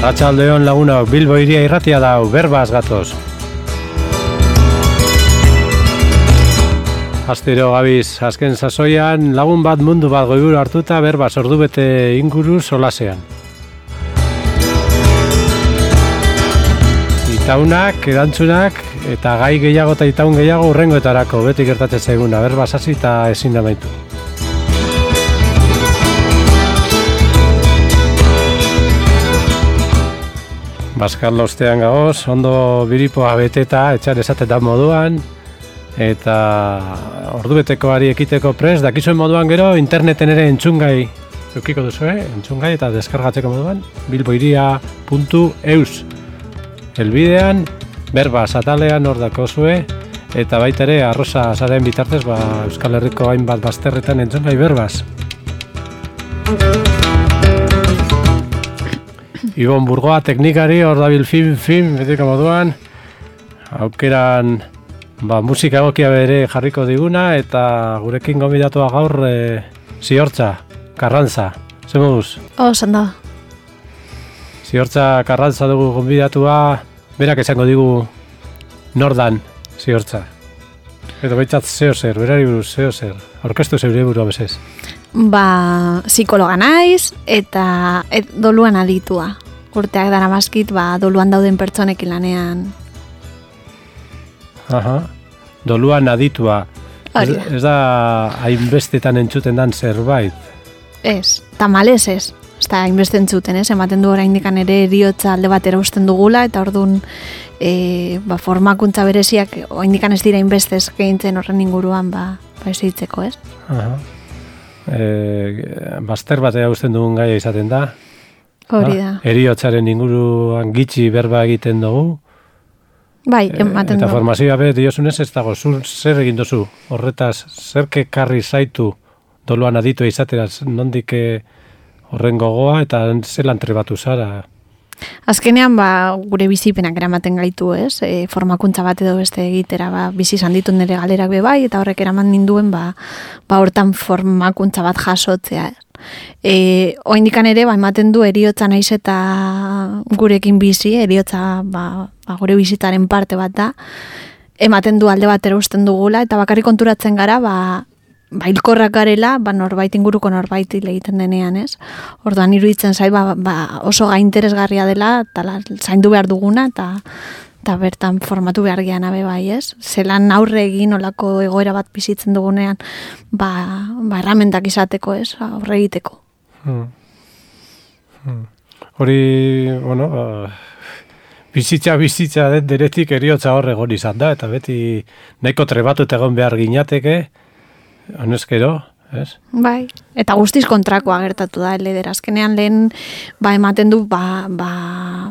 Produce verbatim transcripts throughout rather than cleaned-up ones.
Arratsaldeon lagunok, Bilbo hiria irratia dau, berbaz gatoz. Astero gabiz, azken sasoian lagun bat mundu bat goiburu hartuta berbaz ordubete inguru solasean. Itaunak, erantzunak eta gai gehiago eta itaun gehiago urrengoetarako beti gertatzen zaiguna, berbaz hasi eta ezin amaitu. Baskal ostean gagoz, ondo biripoa beteta, etxar esaten da moduan, eta ordubetekoari ekiteko prest, dakizuen moduan gero, interneten ere entzungai, eukiko duzu, eh? Entzungai eta deskargatzeko moduan, bilboiria puntu eus. Elbidean, berbaz atalean hor dakozue, eta baita ere, arroza zaren bitartez, ba, Euskal Herriko hainbat bazterretan entzungai berbaz. Ibon Burgoa teknikari, hor dabil film, film, betiko moduan, aukeran ba, musika egokia bere jarriko diguna, eta gurekin gonbidatua gaur e, Ziortza, Karrantza, ze moduz? Oh, sanda. Ziortza Karrantza dugu gonbidatua, berak esango digu nordan Ziortza. Edo behitzat zeo zer, berari buruz zeo zer, orkestu zeure burua bezez. Ba, psikologa naiz eta et, doluan aditua. Urteak dara maskit, ba, doluan dauden pertsonekin lanean. Aha, doluan aditua. Ez, ez da hainbestetan entzuten dan zerbait? Ez, tamalez ez. Ez da hainbeste entzuten, ez? Ematen du oraindik ere eriotza alde batera usten dugula, eta orduan e, ba, formakuntza bereziak oraindik ez dira hainbeste eskaintzen horren inguruan ba, ba ez hitzeko, ez? Aha. E, Baster batea usten dugun gaia izaten da. Hori da. Eriotzaren inguruan gitxi berba egiten dugu. Bai, ematen dugu. Eta formazioa be diosunez ez dago, zur zer egin duzu? Horretaz, zerke karri zaitu doluan aditu izateraz, nondik horren gogoa eta zelan trebatu zara? Azkenean, ba, gure bizipenak eramaten gaitu, ez? E, formakuntza bat edo beste egitera, ba, bizi izan ditu nire galerak be bai, eta horrek eraman ninduen, ba, ba hortan formakuntza bat jasotzea. E, oindikan ere, ba, ematen du eriotza naiz eta gurekin bizi, eriotza, ba, ba, gure bizitzaren parte bat da, ematen du alde batera usten dugula, eta bakarrik konturatzen gara, ba, ba, hilkorrak garela, ba, norbait inguruko norbait egiten denean, ez? Orduan iruditzen zait, ba, ba, oso gai interesgarria dela, eta la, zaindu behar duguna, eta, eta bertan formatu behar gehan abe bai, ez? Zelan aurre egin olako egoera bat bizitzen dugunean, ba, ba erramentak izateko, ez? Aurre egiteko. Hmm. Hmm. Hori, bueno, uh, bizitza bizitza den deretik eriotza horre gori izan da, eta beti nahiko trebatut egon behar ginateke, honezkero, ez? Bai, eta guztiz kontrakoa gertatu da, leder. Azkenean lehen, ba, ematen du, ba, ba,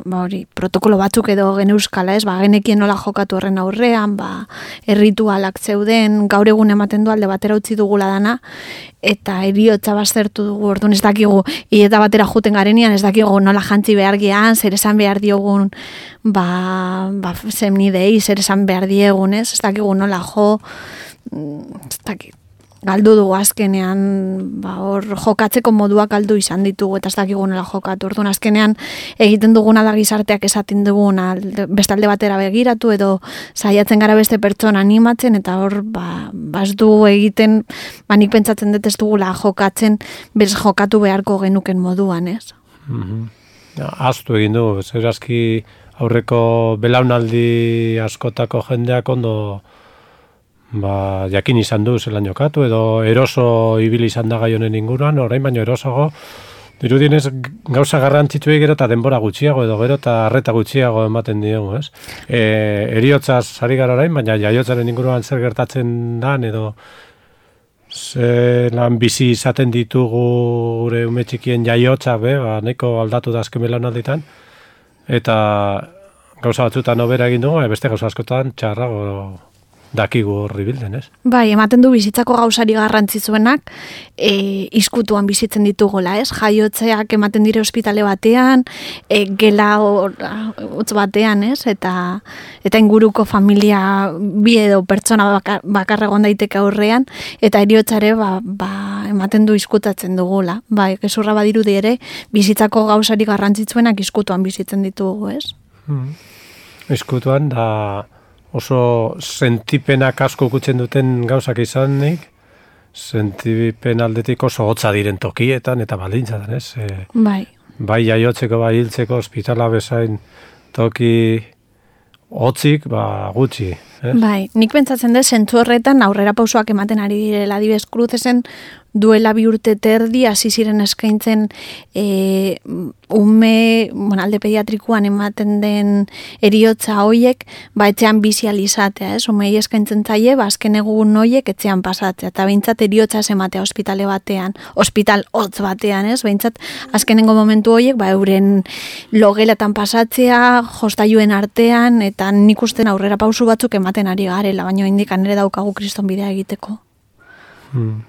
ba, hori, protokolo batzuk edo geneuskala, ez? Ba, genekien nola jokatu horren aurrean, ba, erritualak zeuden, gaur egun ematen du alde batera utzi dugula dana, eta eriotza baztertu dugu, orduan ez dakigu, hileta batera juten garenean, ez dakigu nola jantzi behar gean, zer esan behar diogun, ba, ba, zemnidei, zer esan behar diegun, ez? Ez dakigu nola jo, ez dakit. Galdu dugu azkenean, ba, hor jokatzeko moduak galdu izan ditugu, eta ez dakigu nola jokatu. Orduan azkenean egiten duguna da gizarteak esaten duguna, beste alde batera begiratu, edo saiatzen gara beste pertsona animatzen, eta hor, ba, baz dugu egiten, ba, nik pentsatzen dut ez dugula jokatzen, bez jokatu beharko genuken moduan, ez? Mm-hmm. Ja, aztu egin du, zer aski aurreko belaunaldi askotako jendeak ondo ba, jakin izan du zelan jokatu, edo eroso ibili izan da gai honen inguruan, orain baino erosogo, dirudienez gauza garrantzitsuei gero eta denbora gutxiago, edo gero eta arreta gutxiago ematen diogu, ez? E, eriotzaz ari gara orain, baina jaiotzaren inguruan zer gertatzen dan, edo zelan bizi izaten ditugu gure ume txikien jaiotza, be, ba, nahiko aldatu da azken belaunalditan, eta gauza batzutan hobera egin dugu, beste gauza askotan txarrago dakigu horri bilden, ez? Bai, ematen du bizitzako gauzari garrantzitsuenak e, izkutuan bizitzen ditugula, ez? Jaiotzeak ematen dire ospitale batean, e, gela hotz batean, ez? Eta eta inguruko familia bi edo pertsona bakar, bakar egon daiteke aurrean, eta heriotzare ba, ba, ematen du izkutatzen dugula. Bai, gezurra badirudi ere, bizitzako gauzari garrantzitsuenak izkutuan bizitzen ditugu, ez? Hmm. Izkutuan da oso sentipenak asko kutzen duten gauzak izanik, sentipen aldetik oso hotza diren tokietan eta baldintzatan, ez? E, bai. Bai jaiotzeko, bai hiltzeko, ospitala bezain toki hotzik, ba gutxi. Ez? Bai, nik pentsatzen dut zentzu horretan aurrera pausoak ematen ari direla adibidez Cruzesen duela bi urte terdi hasi ziren eskaintzen e, ume, bueno, alde pediatrikoan ematen den heriotza hoiek, ba etxean bizi ahal izatea, ez? Umei eskaintzen zaie, ba azken egun hoiek etxean pasatzea, eta behintzat heriotza ez ematea ospitale batean, ospital hotz batean, ez? Behintzat azkenengo momentu hoiek, ba euren logelatan pasatzea, jostailuen artean, eta nik usten aurrera pausu batzuk ematen ari garela, baina indikan ere daukagu kriston bidea egiteko. Hmm.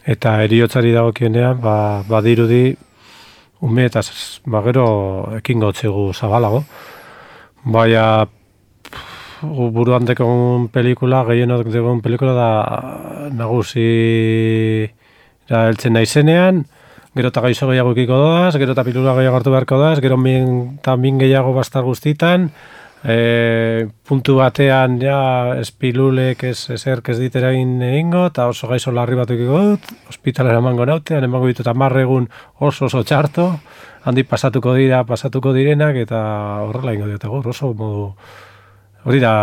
Eta heriotzari dagokienean, ba, badirudi ume eta ba, gero ekingo txegu zabalago. Baina buruan dekon pelikula, gehienot dekon pelikula da nagusi da heltzen naizenean, gero eta gaixo gehiago ikiko doaz, gero eta pilula gehiago hartu beharko doaz, gero min, eta min gehiago bastar guztitan, E, puntu batean ja espilulek ez ezerk ez diterain egingo eta oso gaixo larri bat ikiko dut, ospitalera emango nautean, emango ditut hamar egun oso oso txarto, handi pasatuko dira, pasatuko direnak eta horrela ingo diote gaur, oso modu hori da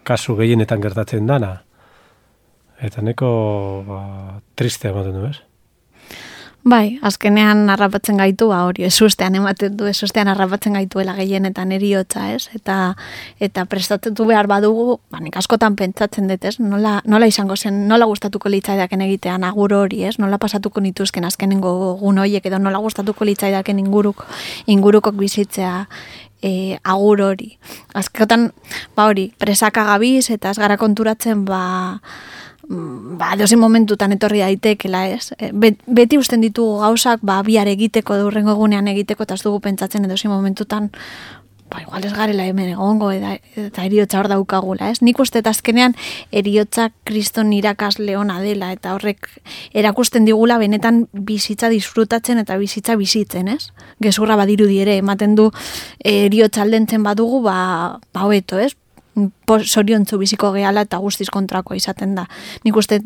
kasu gehienetan gertatzen dana. Eta neko ba, tristea ematen du, ez? Bai, azkenean harrapatzen gaitu, ba hori, ezustean ematen du, ezustean harrapatzen gaituela gehienetan heriotza, ez? Eta eta prestatutu behar badugu, ba nik askotan pentsatzen dut, ez? Nola, nola izango zen, nola gustatuko litzaidaken egitean agur hori, ez? Nola pasatuko nituzken azkenengo egun horiek edo nola gustatuko litzaidaken inguruk ingurukok bizitzea e, agur hori. Askotan, ba hori, presaka gabiz eta ez gara konturatzen, ba ba, dozen momentutan etorri daitekela, ez? Beti usten ditugu gauzak, ba, bihar egiteko, durrengo egunean egiteko, eta ez dugu pentsatzen edozen momentutan, ba, igual ez garela hemen egongo, eta, eta eriotza hor daukagula, ez? Nik uste eta azkenean eriotza kriston irakasle ona dela, eta horrek erakusten digula benetan bizitza disfrutatzen eta bizitza bizitzen, ez? Gezurra badirudi ere, ematen du eriotza aldentzen badugu, ba, ba hobeto, ez? Zoriontzu biziko gehala eta guztiz kontrakoa izaten da. Nik uste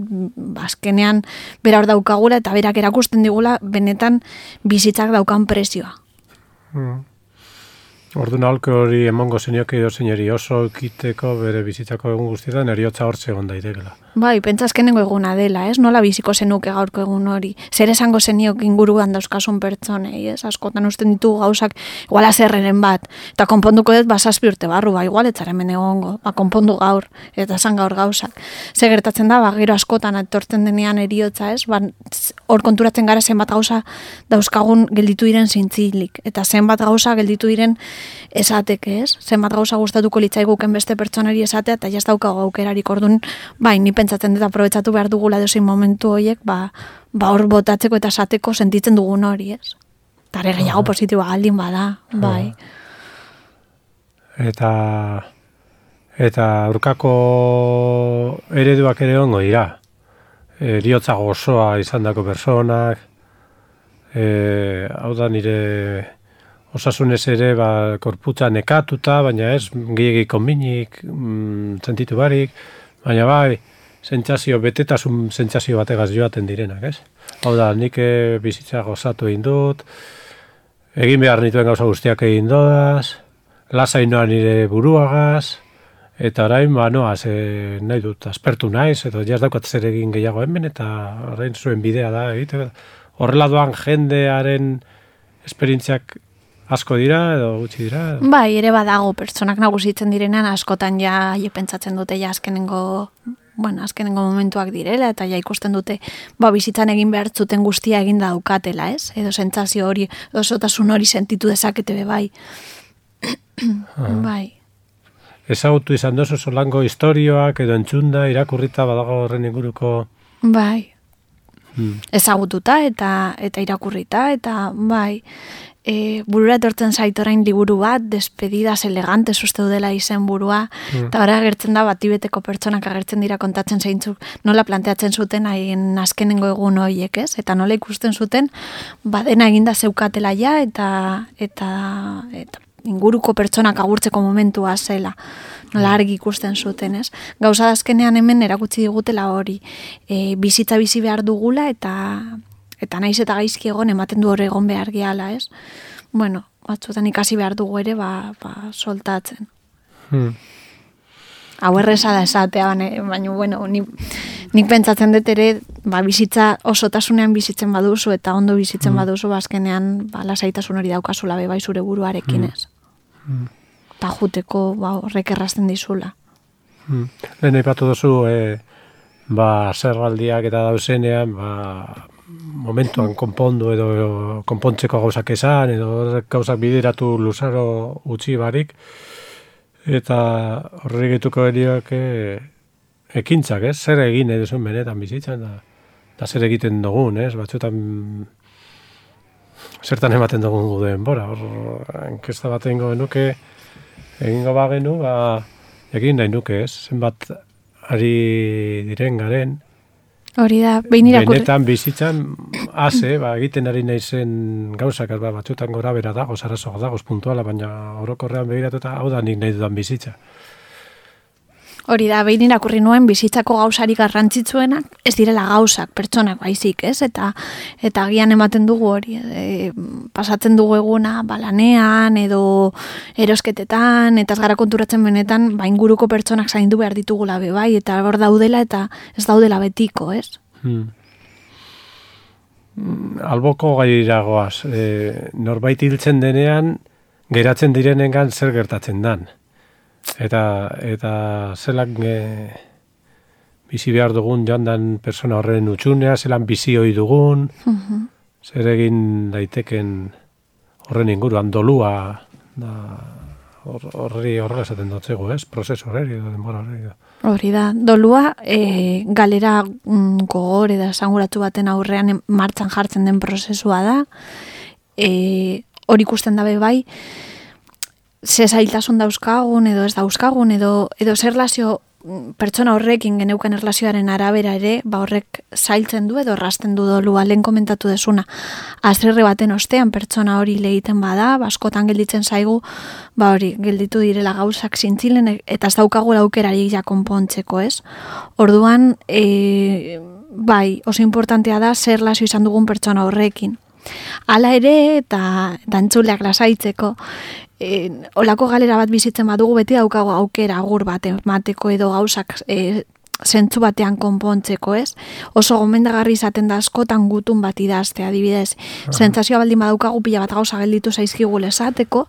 azkenean bera hor daukagula eta berak erakusten digula benetan bizitzak daukan prezioa. Hmm. Orduan aholku hori emongo zenioke edo zeineri oso ekiteko bere bizitzako egun guztietan eriotza hortze egon daitekela. Bai, pentsa azkenengo eguna dela, ez? Nola biziko zenuke gaurko egun hori? Zer esango zeniok inguruan dauzkasun pertsonei, ez? Askotan usten ditugu gauzak igual azerreren bat, eta konponduko dut ba zazpi urte barru, ba igual etzaren egongo, ba konpondu gaur, eta esan gaur gauzak. Ze gertatzen da, ba gero askotan etortzen denean eriotza, ez? Ba hor konturatzen gara zenbat gauza dauzkagun gelditu diren zintzilik, eta zenbat gauza gelditu diren esateke, ez? Zenbat gauza gustatuko litzaiguken beste pertsonari esatea, eta jaz daukago aukerarik ordun, bai, ni pentsatzen dut aprobetxatu behar dugula dozein momentu horiek, ba, ba hor botatzeko eta esateko sentitzen dugun hori, ez? Tare gehiago positiboa galdin bada, bai. Eta eta aurkako ereduak ere ongo dira. Eriotza gozoa izandako personak, e, hau da nire osasunez ere ba, korputza nekatuta, baina ez gehiagik konbinik, mm, sentitu barik, baina bai, sentsazio, betetasun sentsazio bategaz joaten direnak, ez? Hau da, nik bizitza gozatu egin dut, egin behar nituen gauza guztiak egin dodaz, lasainoa nire buruagaz, eta orain, ba, noaz, e, nahi dut, aspertu naiz, eta jaz daukat zer egin gehiago hemen, eta orain zuen bidea da, egite, horrela doan jendearen esperientziak asko dira edo gutxi dira? Edo? Bai, ere badago pertsonak nagusitzen direnean askotan ja pentsatzen dute ja azkenengo, bueno, azkenengo momentuak direla eta ja ikusten dute ba bizitzan egin behar zuten guztia egin daukatela, ez? Edo sentsazio hori, osotasun hori sentitu dezakete be bai. Bai. ezagutu izan dozu solango historioak edo entzunda, irakurrita badago horren inguruko... Bai, hmm. ezagututa eta eta irakurrita, eta bai, e, burura etortzen zait orain liburu bat, Despedidas elegantes uste dela izen burua, hmm. eta ora agertzen da batibeteko pertsonak agertzen dira kontatzen zeintzuk nola planteatzen zuten haien azkenengo egun horiek, ez? Eta nola ikusten zuten, badena eginda zeukatela ja, eta, eta, eta inguruko pertsonak agurtzeko momentua zela, nola argi ikusten zuten, ez? Gauza azkenean hemen erakutsi digutela hori, e, bizitza bizi behar dugula, eta eta naiz eta gaizki egon ematen du hor egon behar gehala, ez? Bueno, batzutan ikasi behar dugu ere, ba, ba soltatzen. Hmm. Hau erreza da esatea, baina, bueno, ni, nik pentsatzen dut ere, ba, bizitza osotasunean bizitzen baduzu, eta ondo bizitzen hmm. baduzu, bazkenean, ba, lasaitasun hori daukazula bebai zure buruarekin, ez? Hmm. Eta juteko, ba, horrek errazten dizula. Hmm. Lehen aipatu duzu, e, ba, zerraldiak eta dauzenean, ba, momentuan konpondu edo konpontzeko gauzak esan, edo gauzak bideratu luzaro utzi barik, eta horri gehituko eriak e, ekintzak, ez? Zer egin edo zuen benetan bizitzan, da, da zer egiten dugun, ez? Batzutan zertan ematen dugun gudeen bora, hor enkesta bat egingo genuke, egingo bagenu, ba, egin nahi nuke, ez? Zenbat ari diren garen, hori da, behin irakurri. Benetan bizitzan, haze, ba, egiten ari naizen gauzak, ba, batzutan gora bera dago, zarazoak dagoz puntuala, baina orokorrean begiratuta, hau da nik nahi dudan bizitza. Hori da, behin irakurri nuen bizitzako gauzarik garrantzitsuenak, ez direla gauzak, pertsonak baizik, ez? Eta eta agian ematen dugu hori, e, pasatzen dugu eguna, balanean, edo erosketetan, eta ez gara konturatzen benetan, ba, inguruko pertsonak zaindu behar ditugula be bai, eta hor daudela, eta ez daudela betiko, ez? Hmm. Alboko gairagoaz, e, norbait hiltzen denean, geratzen direnengan zer gertatzen dan. Eta, eta zelan e, bizi behar dugun joan dan persona horren utxunea, zelan bizi hoi dugun, uh-huh. zer egin daiteken horren inguruan dolua, da, horri horrela esaten dotzego, ez? Prozesu horri, denbora horri. Hori da, dolua e, galera mm, gogor edo esanguratu baten aurrean martxan jartzen den prozesua da, e, hori ikusten dabe bai, ze zailtasun dauzkagun edo ez dauzkagun edo, edo zer relazio pertsona horrekin geneukan erlazioaren arabera ere, ba horrek zailtzen du edo errazten du dolua, lehen komentatu desuna. Azerre baten ostean pertsona hori lehiten bada, askotan gelditzen zaigu, ba hori, gelditu direla gauzak zintzilen, eta ez daukagula aukerarik ja konpontzeko, ez? Orduan, e, bai, oso importantea da zer relazio izan dugun pertsona horrekin. Hala ere, eta dantzuleak lasaitzeko, e, olako galera bat bizitzen badugu beti daukago aukera agur bat emateko edo gauzak e, zentzu batean konpontzeko, ez? Oso gomendagarri izaten da askotan gutun bat idazte, adibidez. Uh-huh. Sentsazioa baldin badaukagu pila bat gauza gelditu zaizkigu esateko,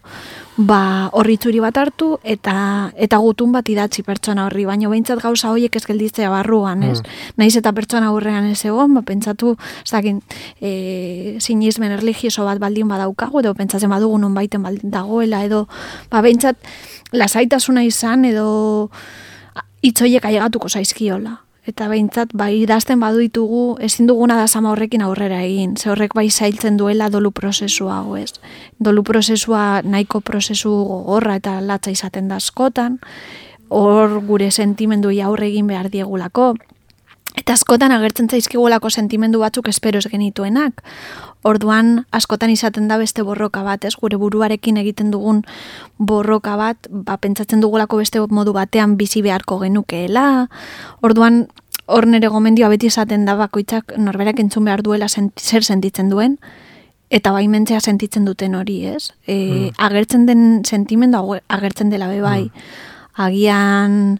ba horritzuri bat hartu eta eta gutun bat idatzi pertsona horri, baina behintzat gauza horiek ez gelditzea barruan, ez? Uh-huh. Naiz eta pertsona aurrean ez egon, ba pentsatu, ez dakin, e, sinismen erlijioso bat baldin badaukagu, edo pentsatzen badugu nonbaiten baldin dagoela, edo ba behintzat lasaitasuna izan, edo hitzoiek ailegatuko zaizkiola. Eta behintzat, bai, idazten badu ditugu, ezin duguna da sama horrekin aurrera egin. Ze horrek bai zailtzen duela dolu prozesua, hau ez. Dolu prozesua nahiko prozesu gogorra eta latza izaten da askotan, hor gure sentimenduei aurre egin behar diegulako. Eta askotan agertzen zaizkigulako sentimendu batzuk espero ez genituenak. Orduan askotan izaten da beste borroka bat, ez? Gure buruarekin egiten dugun borroka bat, ba, pentsatzen dugulako beste modu batean bizi beharko genukeela. Orduan hor nere gomendioa beti izaten da bakoitzak norberak entzun behar duela sent, zer sentitzen duen, eta baimentzea sentitzen duten hori, ez? E, mm. Agertzen den sentimendu agertzen dela be bai. Mm. Agian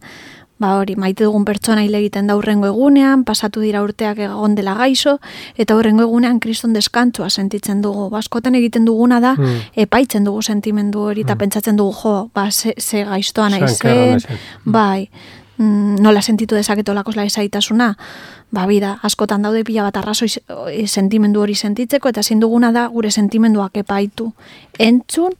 ba hori, maite dugun pertsona hil egiten da hurrengo egunean, pasatu dira urteak egon dela gaixo, eta hurrengo egunean kriston deskantzua sentitzen dugu. Baskotan egiten duguna da, mm. epaitzen dugu sentimendu hori, eta mm. pentsatzen dugu, jo, ba, ze, ze gaiztoa nahi zen, bai, mm, nola sentitu dezaketolako lasaitasuna, ba, bida, askotan daude pila bat arrazoi sentimendu hori sentitzeko, eta ezin duguna da gure sentimenduak epaitu. Entzun,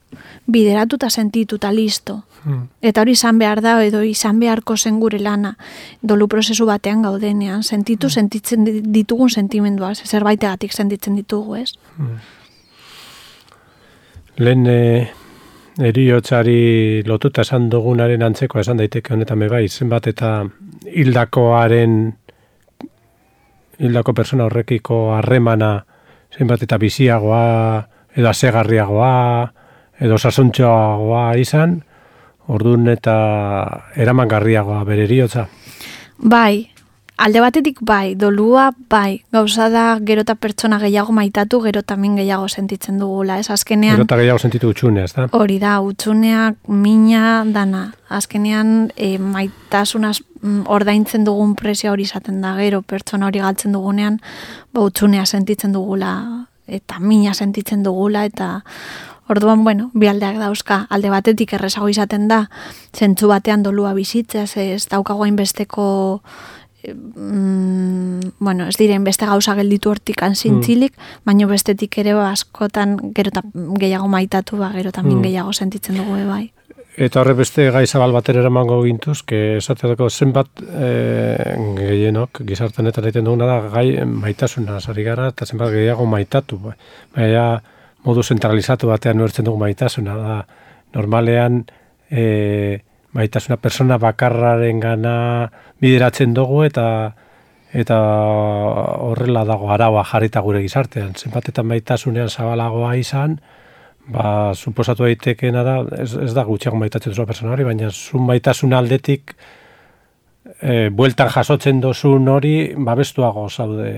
bideratu eta sentitu eta listo. Hmm. Eta hori izan behar da, edo izan beharko zen gure lana, dolu prozesu batean gaudenean, sentitu, hmm. sentitzen ditugun sentimenduak, zerbaitegatik sentitzen ditugu, ez? Hmm. Lehen e, eriotzari lotuta esan dugunaren antzeko esan daiteke honetan bebai, zenbat eta hildakoaren hildako persona horrekiko harremana zenbat eta biziagoa edo asegarriagoa edo sasuntxoagoa izan, orduan eta eramangarriagoa bere eriotza. Bai, alde batetik bai, dolua bai, gauza da gero eta pertsona gehiago maitatu, gero tamin gehiago sentitzen dugula, ez? Azkenean... Gero eta gehiago sentitu utxunea, ez da? Hori da, utxuneak, mina, dana. Azkenean e, maitasunaz ordaintzen dugun presio hori izaten da, gero pertsona hori galtzen dugunean, ba, utxunea sentitzen dugula, eta mina sentitzen dugula, eta... Orduan, bueno, bi aldeak dauzka, alde batetik errezago izaten da, zentzu batean dolua bizitzea, ez daukago hainbesteko, mm, bueno, ez diren beste gauza gelditu hortikan zintzilik, mm. baina bestetik ere askotan gero eta gehiago maitatu, ba, gero tamin mm. gehiago sentitzen dugu bai. Eta horre beste gai zabal batera eramango gintuz, que esateako zenbat e, gehienok, gizartenetan egiten duguna da, gai maitasuna sari gara, eta zenbat gehiago maitatu. Baina, modu zentralizatu batean nuertzen dugu maitasuna. Da, normalean, e, maitasuna persona bakarraren gana bideratzen dugu eta eta horrela dago araua jarrita gure gizartean. Zenbat eta maitasunean zabalagoa izan, ba, suposatu daitekena da, ez, ez da gutxiago maitatzen duzua persona hori, baina zu maitasun aldetik e, bueltan jasotzen dozun hori, babestuago zaude,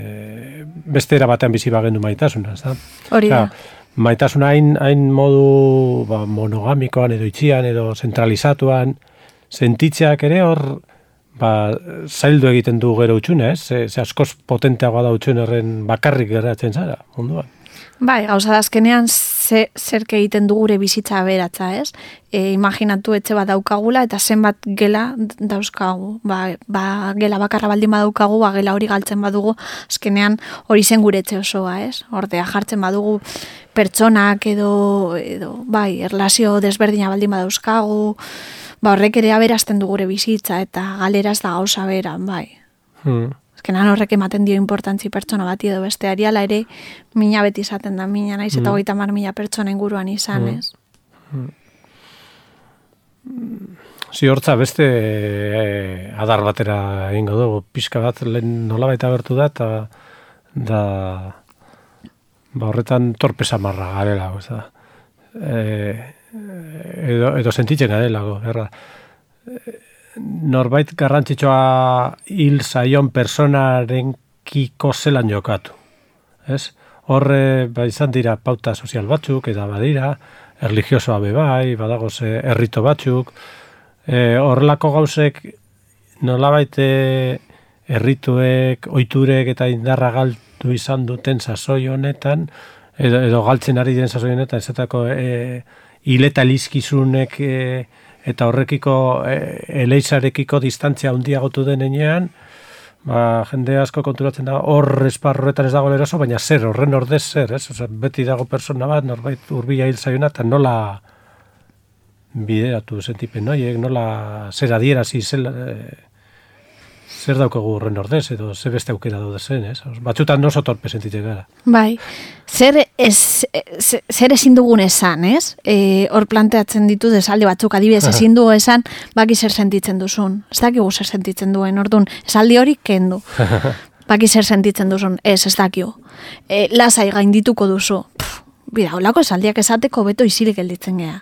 beste era batean bizi bagendu maitasuna, ez da? Hori da. Maitasuna hain, hain modu ba, monogamikoan edo itxian edo zentralizatuan sentitzeak ere hor ba, zaildu egiten du gero utxune, ez? Ze, ze askoz potenteagoa da utxune horren bakarrik geratzen zara, munduan. Bai, gauza da azkenean ze, zerke egiten du gure bizitza aberatza, ez? E, imaginatu etxe bat daukagula eta zenbat gela dauzkagu. Ba, ba, gela bakarra baldin badaukagu, ba, gela hori galtzen badugu, azkenean hori zen gure etxe osoa, ez? Ordea jartzen badugu pertsonak edo, edo bai, erlazio desberdina baldin badauzkagu, ba, horrek ere aberazten du gure bizitza eta galeraz da gauza beran, bai. Hmm. Azkenan horrek ematen dio importantzi pertsona bati edo besteari, ala ere mina beti izaten da, mina naiz eta hogeita hamar mila pertsona inguruan izan, ez? Ziortza beste eh, adar batera egingo dugu, pixka bat lehen nolabait agertu da, eta da ba horretan torpe samarra garela, ez da. Eh, edo, edo sentitzen garela, erra. Norbait garrantzitsua hil zaion personaren kiko zelan jokatu. Ez? Horre ba, izan dira pauta sozial batzuk, eta badira, erligiosoa bebai, badago ze errito batzuk, e, horrelako gauzek nolabait errituek, ohiturek eta indarra galdu izan duten sasoi honetan, edo, edo galtzen ari den sasoi honetan, ezetako e, hileta lizkizunek e, eta horrekiko e, eleizarekiko distantzia handiagotu denean, ba, jende asko konturatzen da, hor esparroetan ez dago eroso, baina zer, horren ordez zer, ez? Oza, beti dago persona bat, norbait hurbila hil zaiona, eta nola bideratu sentipen noiek, nola zer adierazi, zer, e, zer daukagu horren ordez, edo zer beste aukera daude zen, ez? Batzutan oso torpe sentitzen gara. Bai, zer, ez, zer ezin dugun esan, ez? E, hor planteatzen ditu desalde batzuk, adibidez ezin dugu esan, baki zer sentitzen duzun. Ez dakigu zer sentitzen duen, orduan, esaldi hori kendu. Baki zer sentitzen duzun, ez, ez dakigu. E, lasai gaindituko duzu. Pff, bida, holako esaldiak esateko beto isilik gelditzen gea.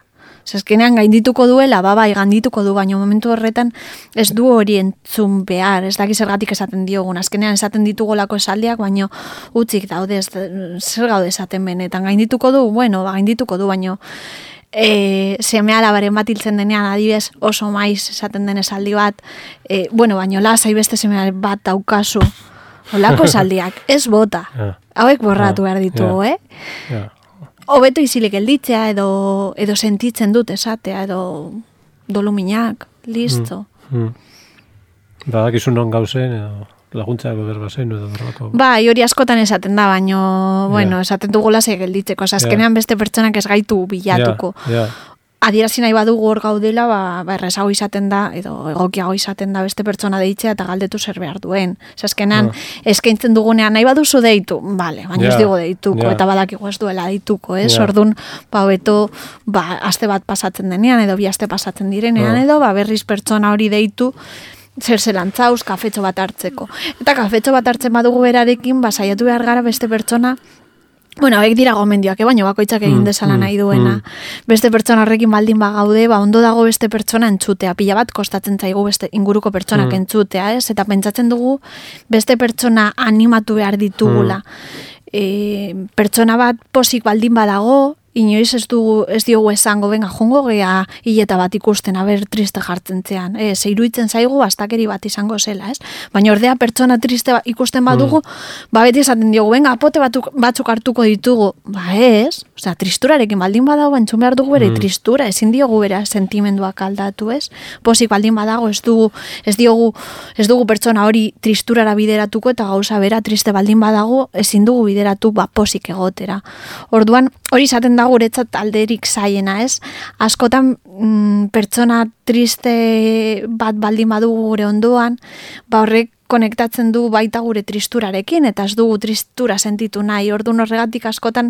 Zezkenean gaindituko duela, babai, gaindituko du, baina momentu horretan ez du hori entzun behar, ez daki zergatik esaten diogun. Azkenean esaten ditugolako esaldiak, baina utzik daude, zer gaude esaten benetan. Gaindituko du, bueno, ba, gaindituko du, baina e, seme alabaren bat hiltzen denean, adibidez, oso maiz esaten den esaldi bat, e, bueno, baina lasai beste seme bat daukazu. Olako esaldiak, ez bota. Hauek borratu behar ditugu, eh? Ja. Hobeto izilik gelditzea, edo, edo sentitzen dut esatea, edo doluminak, listo. Mm, mm. Badakizu non gauzen, edo laguntzako berbazen, edo berrako. Bai, hori askotan esaten da, baino, bueno, esaten dugula ze gelditzeko. Azkenean beste pertsonak ez gaitu bilatuko. Ja, ja. Adierazi nahi badugu hor gaudela, ba, ba errezago izaten da, edo egokiago izaten da beste pertsona deitzea eta galdetu zer behar duen. Azkenean, ah. eskaintzen dugunean nahi baduzu deitu, bale, baina ja, ez digo deituko, ja. Eta badakigu ez duela deituko, ez? Ja. Orduan, ba, beto, ba, aste bat pasatzen denean, edo bi aste pasatzen direnean, ah. edo, ba, berriz pertsona hori deitu, zer zelantzauz, kafetxo bat hartzeko. Eta kafetxo bat hartzen badugu berarekin, ba, saiatu behar gara beste pertsona. Bueno, hauek dira gomendioak, eh? Baina bakoitzak egin dezala nahi duena. Mm. Beste pertsona horrekin baldin bagaude, ba, ondo dago beste pertsona entzutea. Pila bat kostatzen zaigu beste inguruko pertsonak mm. entzutea, ez? Eta pentsatzen dugu beste pertsona animatu behar ditugula. Mm. E, pertsona bat posik baldin badago, inoiz ez dugu, ez diogu esango, benga, jungo gea hileta bat ikusten, aber triste jartzen zean. E, zeiruitzen zaigu, astakeri bat izango zela, ez? Baina ordea pertsona triste ikusten badugu, mm. ba beti esaten diogu, benga, apote batzuk, batzuk hartuko ditugu. Ba ez, osea, tristurarekin baldin badago, entzun behar dugu bere mm. tristura, ezin diogu bere sentimenduak aldatu, ez? Posik baldin badago, ez dugu, ez diogu, ez dugu pertsona hori tristurara bideratuko, eta gauza bera triste baldin badago, ezin dugu bideratu, ba, posik egotera. Orduan, hori izaten da guretzat alderik zaiena, ez? Askotan mm, pertsona triste bat baldin badugu gure ondoan, ba horrek konektatzen du baita gure tristurarekin, eta ez dugu tristura sentitu nahi. Orduan horregatik askotan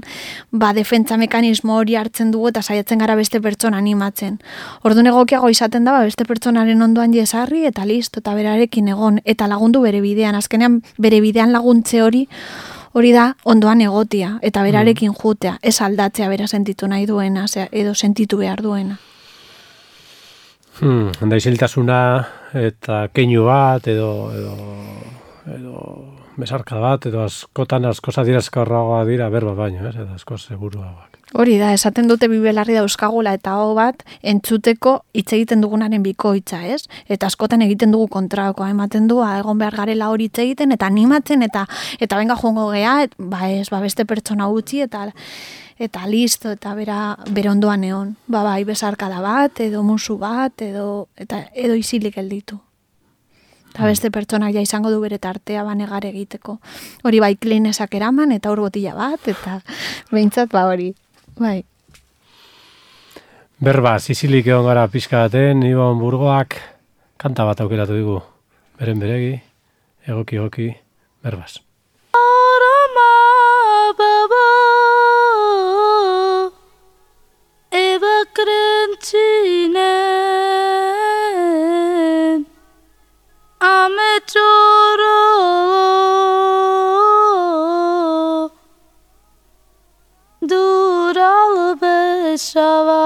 ba defentsa mekanismo hori hartzen dugu eta saiatzen gara beste pertsona animatzen. Orduan egokiago izaten da ba, beste pertsonaren ondoan jesarri eta listo, eta berarekin egon, eta lagundu bere bidean. Azkenean bere bidean laguntze hori hori da ondoan egotia, eta berarekin jutea, ez aldatzea bera sentitu nahi duena, edo sentitu behar duena. Hmm, handa isiltasuna eta keinu bat, edo, edo, edo besarka bat, edo askotan asko adierazkorragoa dira berba baino, ez? Edo asko seguruagoak. Hori da, esaten dute bibelarri dauzkagula eta hau bat entzuteko hitz egiten dugunaren bikoitza, ez? Eta askotan egiten dugu kontrakoa, ematen du, egon behar garela hori hitz egiten, eta animatzen, eta eta benga joango gea, et, ba ez, ba beste pertsona utzi, eta eta listo, eta bera, bere ondoan egon. Ba bai, besarkada bat, edo musu bat, edo, eta, edo isilik gelditu. Eta beste pertsonak ja izango du bere tartea banegar egiteko. Hori bai klinesak eraman, eta hor botila bat, eta behintzat ba hori. Bai. Berba, zizilik egon gara pixka baten, Ibon Burgoak kanta bat aukeratu digu. Beren beregi, egoki egoki, berbaz. Arama baba eba krentzinen ame txoro dural besaba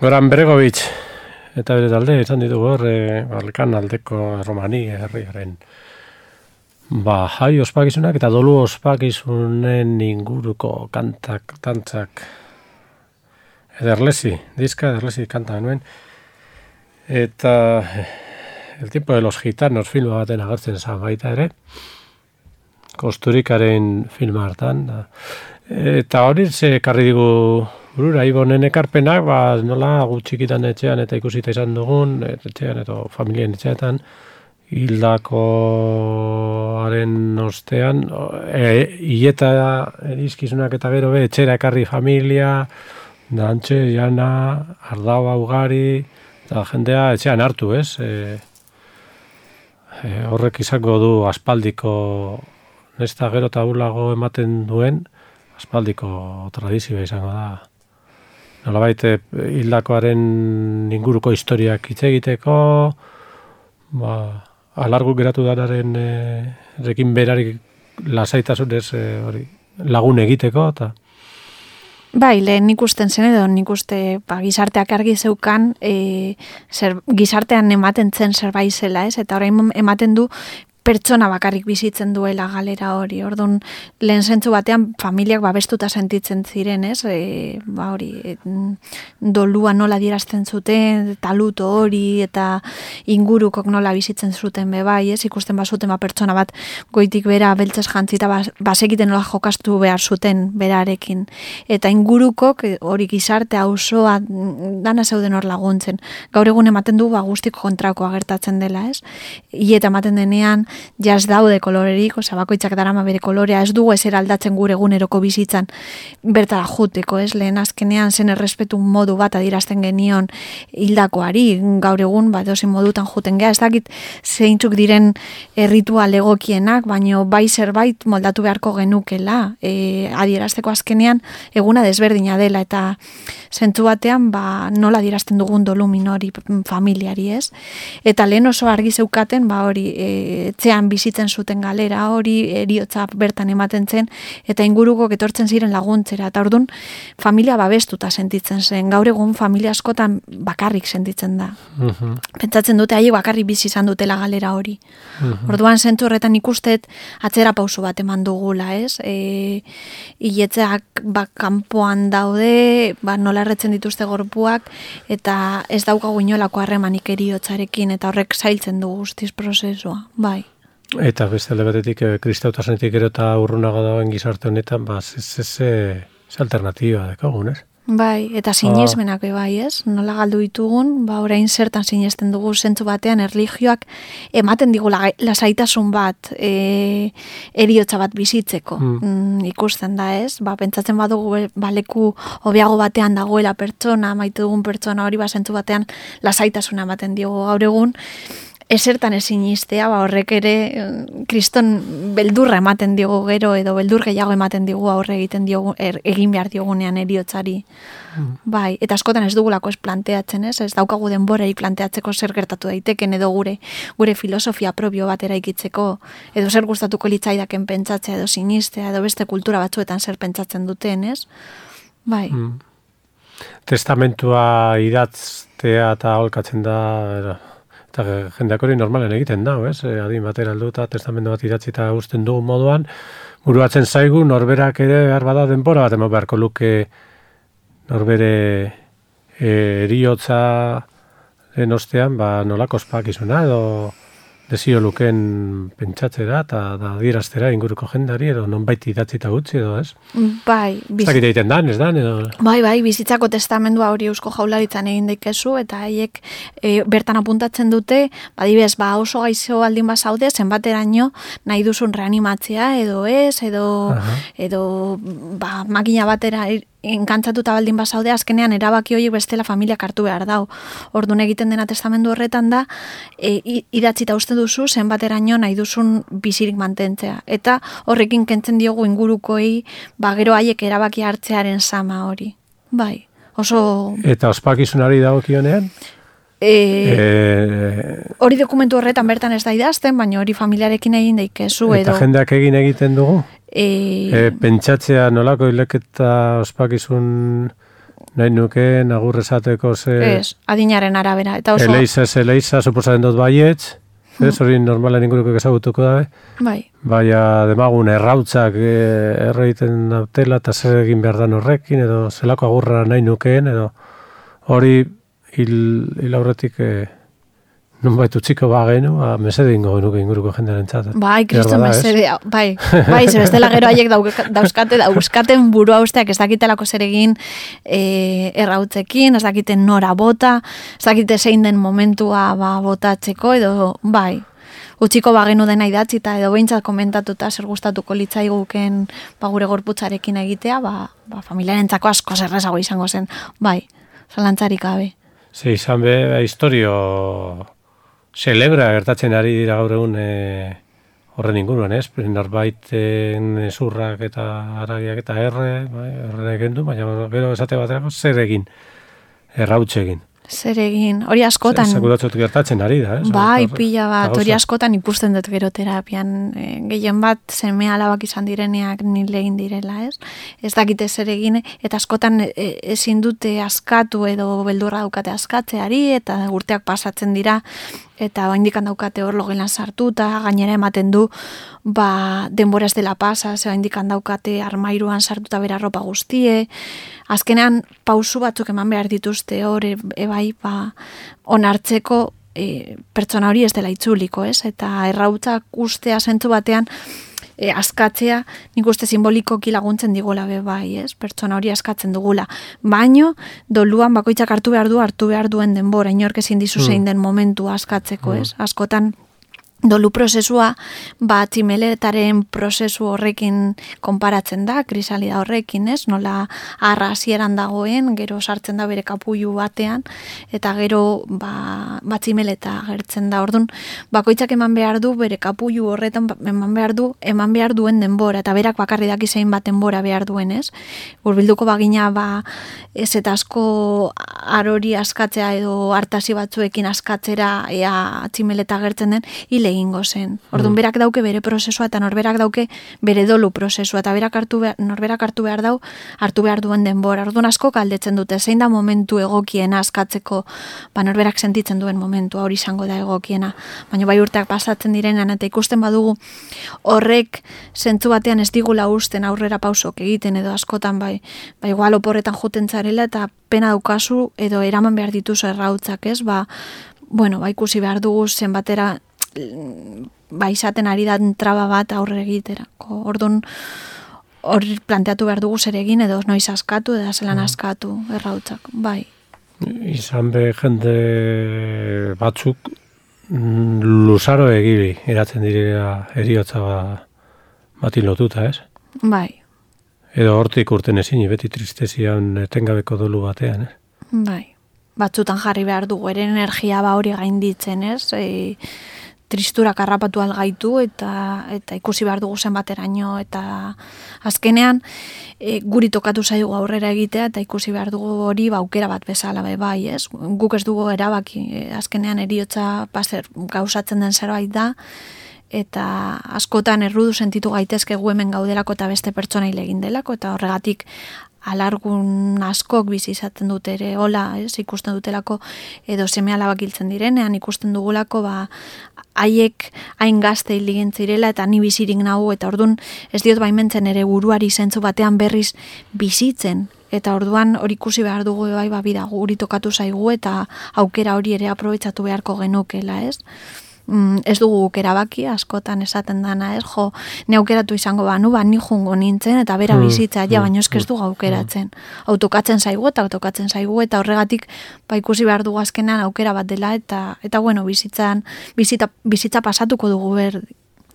Goran Bregovic, eta bere talde, izan ditugu hor, e, Balkan aldeko Romani herriaren ba, jai ospakizunak eta dolu ospakizunen inguruko kantak, tantzak ederlesi, diska ederlesi kanta genuen. Eta El tiempo de los gitanos filma baten agertzen zan baita ere, Kosturikaren filma hartan. Da. Eta hori ze karri digu burura, Ibonen ekarpenak, ba, nola gutxikitan etxean eta ikusita izan dugun, etxean eta familien etxeetan, hildakoaren ostean, e, hileta erizkizunak eta gero be, etxera ekarri familia, dantxe, jana, ardaua ugari, eta jendea etxean hartu, ez? E, e, horrek izango du aspaldiko, nesta gero eta ulago ematen duen, aspaldiko tradizioa izango da. Nolabait, hildakoaren inguruko historiak hitz egiteko, ba, alargu geratu danaren e, rekin berarik lasaitasunez e, hori, lagun egiteko, eta bai, lehen ikusten zen edo nik uste ba, gizarteak argi zeukan e, zer, gizartean ematen zen zerbait zela, ez? Eta orain ematen du pertsona bakarrik bizitzen duela galera hori. Orduan, lehen zentzu batean familiak babestuta sentitzen ziren, ez? E, ba hori, e, dolua nola dierazten zuten, taluto hori, eta ingurukok nola bizitzen zuten be bai, ez? Ikusten bazuten ba pertsona bat goitik bera beltzez jantzita basekiten nola jokastu behar zuten berarekin. Eta ingurukok hori gizarte auzoa dana zeuden hor laguntzen. Gaur egun ematen du ba guztik kontrakoa gertatzen dela, ez? Ieta ematen denean jaz daude kolorerik, osea bakoitzak darama bere kolorea, ez dugu ezer aldatzen gure eguneroko bizitzan bertara juteko, ez? Lehen azkenean zen errespetu modu bat adierazten genion hildakoari, gaur egun ba edozein modutan juten gea, ez dakit zeintzuk diren erritual egokienak, baino bai zerbait moldatu beharko genukela, e, adierazteko azkenean eguna desberdina dela eta zentzu batean ba nola adierazten dugun dolu minori familiari, ez? Eta lehen oso argi zeukaten ba hori e, etxean bizitzen zuten galera hori, eriotza bertan ematen zen, eta inguruko etortzen ziren laguntzera, eta orduan familia babestuta sentitzen zen, gaur egun familia askotan bakarrik sentitzen da. Uh-huh. Pentsatzen dute haiek bakarrik bizi izan dutela galera hori. Uh-huh. Orduan zentzu horretan ikustet atzera pausu bat eman dugula, ez? E, iletzeak ba, kanpoan daude, ba, nola erretzen dituzte gorpuak, eta ez daukagu inolako harremanik eriotzarekin, eta horrek zailtzen du guztiz prozesua, bai. Eta beste alde batetik, kristautasunetik gero eta urrunago dagoen gizarte honetan, ba, ez alternatiba dekogun, ez? Bai, eta sinesmenak oh. bai, ez? Nola galdu ditugun, ba, orain zertan sinesten dugu zentzu batean erlijioak ematen digu lasaitasun bat, e, eriotza bat bizitzeko. Mm. Mm, ikusten da, ez? Ba, pentsatzen badugu baleku hobeago batean dagoela pertsona, maite dugun pertsona hori, ba, zentzu batean lasaitasuna ematen diogu gaur egun, esertan ezin iztea, ba, horrek ere kriston beldurra ematen diogu gero, edo beldur gehiago ematen digu aurre egiten diogu, er, egin behar diogunean eriotzari. Mm. Bai, eta askotan ez dugulako ez planteatzen, ez? Ez daukagu denborarik planteatzeko zer gertatu daiteken, edo gure gure filosofia propio bat eraikitzeko, edo zer gustatuko litzaidaken pentsatzea, edo sinistea, edo beste kultura batzuetan zer pentsatzen duten, ez? Bai. Mm. Testamentua idatztea eta aholkatzen da, era. Eta jendeak hori normalen egiten da, ez? Adin batera aldu eta testamendu bat idatzi eta usten dugun moduan, buruatzen zaigu norberak ere behar bada denbora bat emo beharko luke norbere e, eriotza den ostean, ba, nolako ospakizuna edo desio luken pentsatzera eta da adieraztera inguruko jendari edo nonbait idatzi eta gutxi edo, ez? Bai. Ez dakit egiten dan, ez dan? Edo... Bai, bai, bizitzako testamendua hori Eusko Jaurlaritzan egin daikezu eta haiek e, bertan apuntatzen dute, badibez, ba oso gaixo aldin bazaude, zenbateraino nahi duzun reanimatzea edo ez, edo, uh-huh. edo ba, makina batera enkantzatuta baldin bazaude, azkenean erabaki horiek bestela familiak hartu behar dau. Orduan egiten dena testamendu horretan da, e, idatzita uste duzu, zenbateraino nahi duzun bizirik mantentzea. Eta horrekin kentzen diogu ingurukoei, ba gero haiek erabaki hartzearen sama hori. Bai, oso... Eta ospakizunari dagokionean? E, e, hori dokumentu horretan bertan ez da idazten, baina hori familiarekin egin daikezu. Eta edo, jendeak egin egiten dugu? E, e, pentsatzea nolako hileketa ospakizun nahi nuke agur esateko ze... Ez, adinaren arabera. Eta oso... Eleiza, ez eleiza, suposatzen dut baietz, ez hori normalen inguruko ezagutuko dabe. Bai. Baina demagun errautzak e, erreiten dautela eta zer egin behar dan horrekin, edo zelako agurra nahi nukeen, edo hori hil, hil aurretik e, nun baitu txiko bagenu, ba, mesede ingo genuke inguruko jendearen txat. Bai, kriston mesede, bai, bai, zer bestela gero haiek dauzkate, dauzkaten burua usteak ez dakitelako zer egin e, errautzekin, ez dakiten nora bota, ez dakite zein den momentua ba, botatzeko, edo bai, utxiko bagenu dena idatzita, edo behintzat komentatuta zer gustatuko litzaiguken ba, gure gorputzarekin egitea, ba, ba, familiarentzako asko zerrezago izango zen, bai, zalantzarik gabe. Ze izan be, historio... Celebra gertatzen ari dira gaur egun e, horren inguruan, ez? Norbaiten zurrak eta aragiak eta erre, bai, erre egin du, baina gero esate baterako zer egin, errautxe egin. Zer egin, hori askotan... Sekulatzot gertatzen ari da, ez? Bai, pila bat, hori askotan ikusten dut gero terapian, e, gehien bat seme alabak izan direneak nile egin direla, ez? Ez dakite zer egin, eta askotan e, ezin dute askatu edo beldurra daukate askatzeari, eta urteak pasatzen dira, eta oindikan daukate hor logelan sartuta, gainera ematen du, ba, denbora ez dela pasa, ze oindikan daukate armairuan sartuta bera ropa guztie, azkenean pausu batzuk eman behar dituzte hor, e, e bai, ba, onartzeko e, pertsona hori ez dela itzuliko, ez? Eta errautzak ustea zentzu batean, e, askatzea, nik uste simbolikoki laguntzen digola be bai, ez? Pertsona hori askatzen dugula. Baino, doluan bakoitzak hartu behar du, hartu behar duen denbora, inork ezin dizu zein den momentu askatzeko, ez? Askotan, dolu prozesua, ba, tximeletaren prozesu horrekin konparatzen da, krisalida horrekin, ez? Nola arra hasieran dagoen, gero sartzen da bere kapullu batean, eta gero, ba, ba tximeleta gertzen da. Orduan, bakoitzak eman behar du, bere kapullu horretan eman behar du, eman behar duen denbora, eta berak bakarri daki zein bat denbora behar duen, ez? Urbilduko bagina, ba, ez eta asko arori askatzea edo hartasi batzuekin askatzera ea tximeleta gertzen den, hile egingo zen. Orduan, berak dauke bere prozesua eta norberak dauke bere dolu prozesua eta berak hartu behar, norberak hartu behar dau, hartu behar duen denbora. Orduan, asko galdetzen dute, zein da momentu egokiena askatzeko, ba norberak sentitzen duen momentua hori izango da egokiena. Baina bai urteak pasatzen direnean eta ikusten badugu horrek zentzu batean ez digula usten aurrera pausok egiten edo askotan bai, bai igual oporretan juten zarela eta pena daukazu edo eraman behar dituzu errautzak, ez? Ba, bueno, ba ikusi behar dugu zenbatera ba izaten ari da traba bat aurre egiterako. Orduan, hor planteatu behar dugu zer egin edo noiz askatu edo zelan askatu errautzak, bai. Izan be jende batzuk luzaro egiri eratzen direla eriotza bati lotuta, ez? Bai. Edo hortik urten ezin, beti tristezian etengabeko dolu batean, ez? Bai. Batzutan jarri behar dugu, ere energia ba hori gainditzen, ez? E, tristurak harrapatu algaitu eta eta ikusi behar dugu zenbateraino eta azkenean e, guri tokatu zaigu aurrera egitea eta ikusi behar dugu hori ba aukera bat bezala be bai, ez? Guk ez dugu erabaki, e, azkenean eriotza paser gauzatzen den zerbait da eta askotan errudu sentitu gaitezke gu hemen gaudelako eta beste pertsonai egin delako eta horregatik alargun askok bizi izaten dute ere, hola, ez, ikusten dutelako edo seme alabak hiltzen direnean, ikusten dugulako, ba, haiek hain gazte hil zirela eta ni bizirik nahu, eta ordun ez diot baimentzen ere buruari zentzu batean berriz bizitzen, eta orduan hori ikusi behar dugu bai, ba, bida, guri tokatu zaigu eta aukera hori ere aprobetxatu beharko genukela, ez? Mm, ez dugu guk erabaki, askotan esaten dana, ez, jo, ne aukeratu izango banu, ba, ni jungo nintzen, eta bera bizitza, ja, baina ez ez dugu aukeratzen. Autokatzen zaigu eta autokatzen zaigu, eta horregatik, ba, ikusi behar dugu azkenean aukera bat dela, eta, eta bueno, bizitzan, bizita, bizitza pasatuko dugu ber,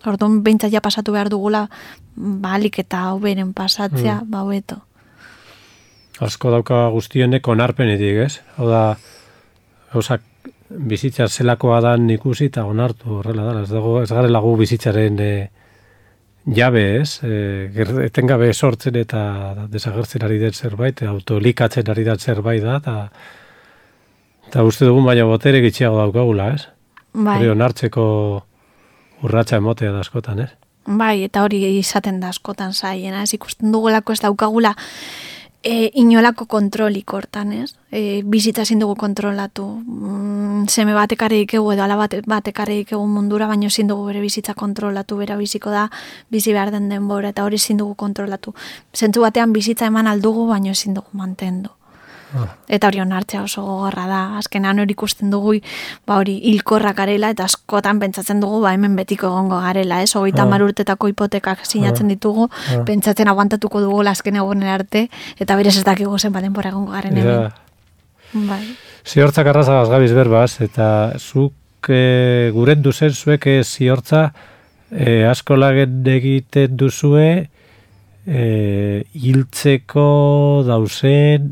orduan behintzat ja pasatu behar dugula, balik eta hau beren pasatzea, mm. ba, hobeto. Asko dauka guztionek onarpenetik, ez? Hau da, gauzak, bizitza zelakoa dan ikusi eta onartu horrela da, ez dago, ez garela gu bizitzaren e, jabe, ez? E, etengabe sortzen eta desagertzen ari den zerbait, autolikatzen ari den zerbait da, eta eta uste dugun baina botere gitxiago daukagula, ez? Bai. Hori onartzeko urratsa emotea da askotan, ez? Bai, eta hori izaten da askotan zaiena, ez ikusten dugulako ez daukagula E, inolako kontrolik hortan, ez? E, bizitza ezin dugu kontrolatu. Mm, seme batek egu edo ala bate, batek egu mundura, baino ezin dugu bere bizitza kontrolatu, bera biziko da, bizi behar den denbora, eta hori ezin dugu kontrolatu. Zentzu batean bizitza eman aldugu, baino ezin dugu mantendu. Ah. Eta hori onartzea oso gogorra da. Azkenean hori ikusten dugu, ba hori hilkorrak garela, eta askotan pentsatzen dugu, ba hemen betiko egongo garela, ez? Hogeita hamar urtetako hipotekak sinatzen ditugu, ah. pentsatzen aguantatuko dugu azken egunen arte, eta berez ez dakigu zenbat denbora egongo garen hemen. Bai. Ziortzak arrazagaz gabiz berbaz, eta zuk e, guren duzen zuek e, ziortza e, asko lagen egiten duzue e, hiltzeko dauzen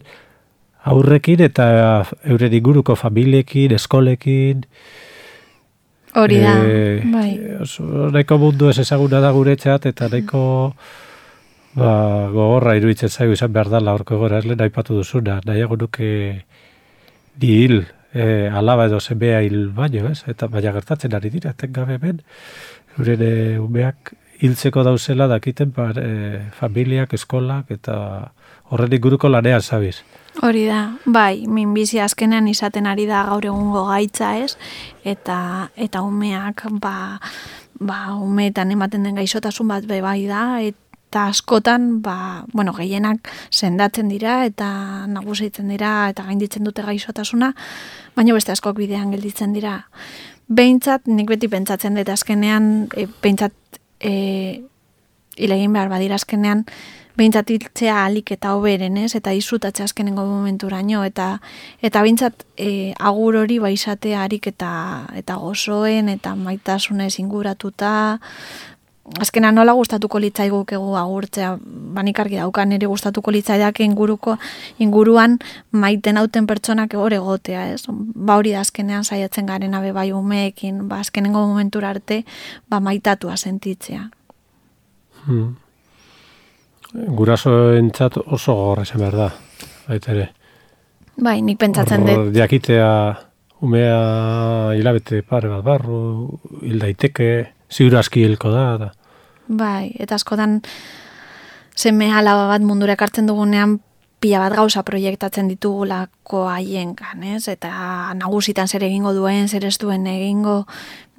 aurrekin eta euren inguruko familiekin, eskolekin. Hori da, e, bai. Nahiko mundu ez ezaguna da guretzat, eta nahiko ba, gogorra iruditzen zaigu izan behar dala horko gora, ez lehen aipatu duzuna, nahiago nuke di hil, e, alaba edo zenbea hil baino, ez? Eta baina gertatzen ari dira, etengabe hemen, euren e, umeak hiltzeko dauzela dakiten ba, e, familiak, eskolak, eta horren inguruko lanean zabiz. Hori da, bai, minbizi azkenean izaten ari da gaur egungo gaitza, ez? Eta eta umeak, ba, ba umeetan ematen den gaixotasun bat be bai da, eta askotan, ba, bueno, gehienak sendatzen dira eta nagusitzen dira eta gainditzen dute gaixotasuna, baina beste askok bidean gelditzen dira. Behintzat, nik beti pentsatzen dut azkenean, e, behintzat e, ilegin behar badira azkenean, behintzat hiltzea alik eta hoberen, ez? Eta izutatzea azkenengo momenturaino, eta eta behintzat e, agur hori baizatea harik eta, eta gozoen, eta maitasunez inguratuta, azkenan nola gustatuko litzaigukegu agurtzea, banik argi daukan ere gustatuko litzaidak inguruko inguruan maiten hauten pertsonak hor egotea, ez? Ba hori da azkenean saiatzen garen abe bai umeekin, ba azkenengo momentura arte ba maitatua sentitzea. Hmm. Gurasoentzat oso gogorra izan behar da, baita ere. Bai, nik pentsatzen dut. Diakitea umea hilabete pare bat barru, hil daiteke, ziur aski hilko da. da. Bai, eta askotan seme alaba bat mundura ekartzen dugunean pila bat gauza proiektatzen ditugulako haiengan, ez? Eta nagusitan zer egingo duen, zer ez duen egingo,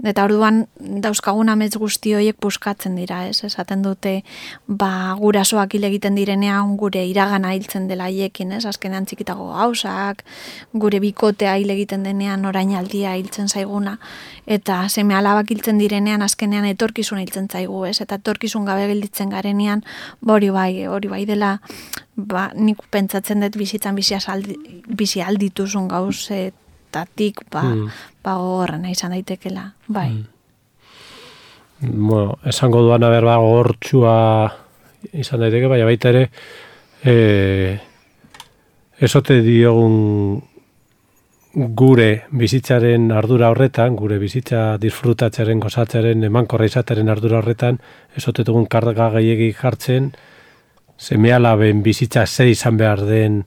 eta orduan dauzkagun amets guzti horiek puskatzen dira, ez? Esaten dute, ba, gurasoak hil egiten direnean gure iragana hiltzen dela haiekin, ez? Azkenean txikitago gauzak, gure bikotea hil egiten denean orainaldia hiltzen zaiguna, eta seme alabak hiltzen direnean azkenean etorkizun hiltzen zaigu, ez? Eta etorkizun gabe gelditzen garenean, hori bai, hori bai dela, ba, nik pentsatzen dut bizitzan bizi aldi, bizi aldituzun gauzetatik, ba, mm. ba gogorrena izan daitekela, bai. Mm. Bueno, esango duan aber ba gogortsua izan daiteke, baina baita ere e, esote diogun gure bizitzaren ardura horretan, gure bizitza disfrutatzearen, gozatzearen, emankorra izatearen ardura horretan, esote dugun karga gehiegi jartzen, seme-alaben bizitza zer izan behar den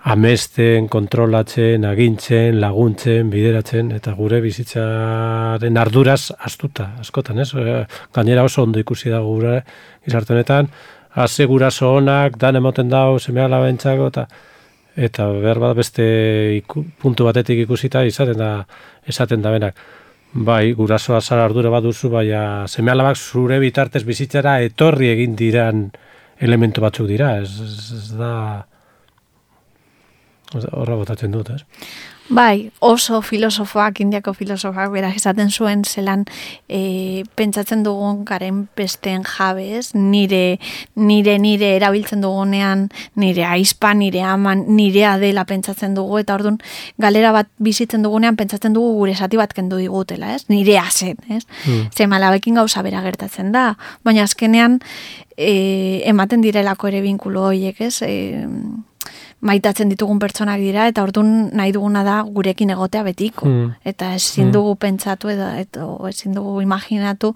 amesten, kontrolatzen, agintzen, laguntzen, bideratzen, eta gure bizitzaren arduraz astuta, askotan, ez? Gainera oso ondo ikusi da gure gizarte honetan, haze guraso onak, dan emoten dau seme-alabentzako, eta eta behar bat beste iku, puntu batetik ikusita izaten da, esaten da benak. Bai, gurasoa zara ardura bat duzu, baina seme-alabak zure bitartez bizitzara etorri egin diran elementu batzuk dira, ez, ez, ez da horra botatzen dut, ez? Bai, oso filosofoak, indiako filosofoak, berak esaten zuen zelan e, pentsatzen dugun garen besteen jabez, nire, nire, nire erabiltzen dugunean, nire aizpa, nire aman, nirea dela pentsatzen dugu, eta orduan galera bat bizitzen dugunean pentsatzen dugu gure esati bat kendu digutela, ez? Nirea zen, ez? Mm. Zemalabekin gauza bera gertatzen da, baina azkenean e, ematen direlako ere binkulo horiek, ez? E, maitatzen ditugun pertsonak dira, eta orduan nahi duguna da gurekin egotea betiko. Mm. Eta ezin dugu mm. pentsatu edo, edo ezin dugu imaginatu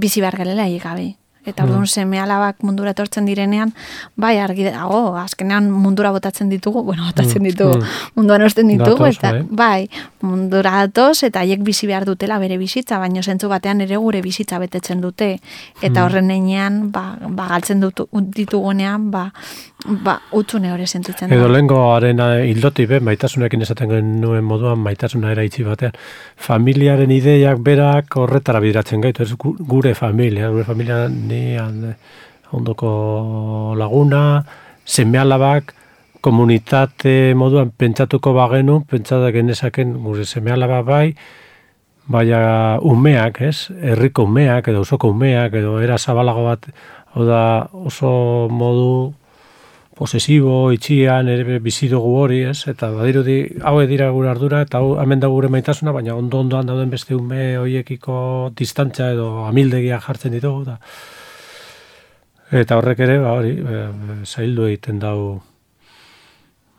bizi behar gelela gabe. Eta orduan mm. seme alabak mundura etortzen direnean, bai argi dago, azkenean mundura botatzen ditugu, bueno, botatzen ditugu, mm. munduan osten ditugu, eta bai, mundura datoz, eta haiek bizi behar dutela bere bizitza, baina zentzu batean ere gure bizitza betetzen dute, eta horren einean, ba, ba galtzen dutu, ditugunean, ba, ba, utzune hori sentitzen da. Edo lehengoaren hildoti, be, maitasunekin esaten genuen moduan, maitasuna eraitzi batean, familiaren ideiak berak horretara bideratzen gaitu, ez gure familia, gure familia ni ondoko laguna, seme-alabak, komunitate moduan pentsatuko bagenu, pentsatu genezaken gure seme-alaba bai, baina umeak, ez? Herriko umeak, edo osoko umeak, edo era zabalago bat, hau da oso modu posesibo, itxian, ere bizi dugu hori, ez? Eta badirudi, hau dira gure ardura, eta hau hemen da gure maitasuna, baina ondo-ondoan dauden beste ume horiekiko distantzia edo amildegia jartzen ditugu, da. Eta horrek ere, ba, hori, zaildu egiten dau,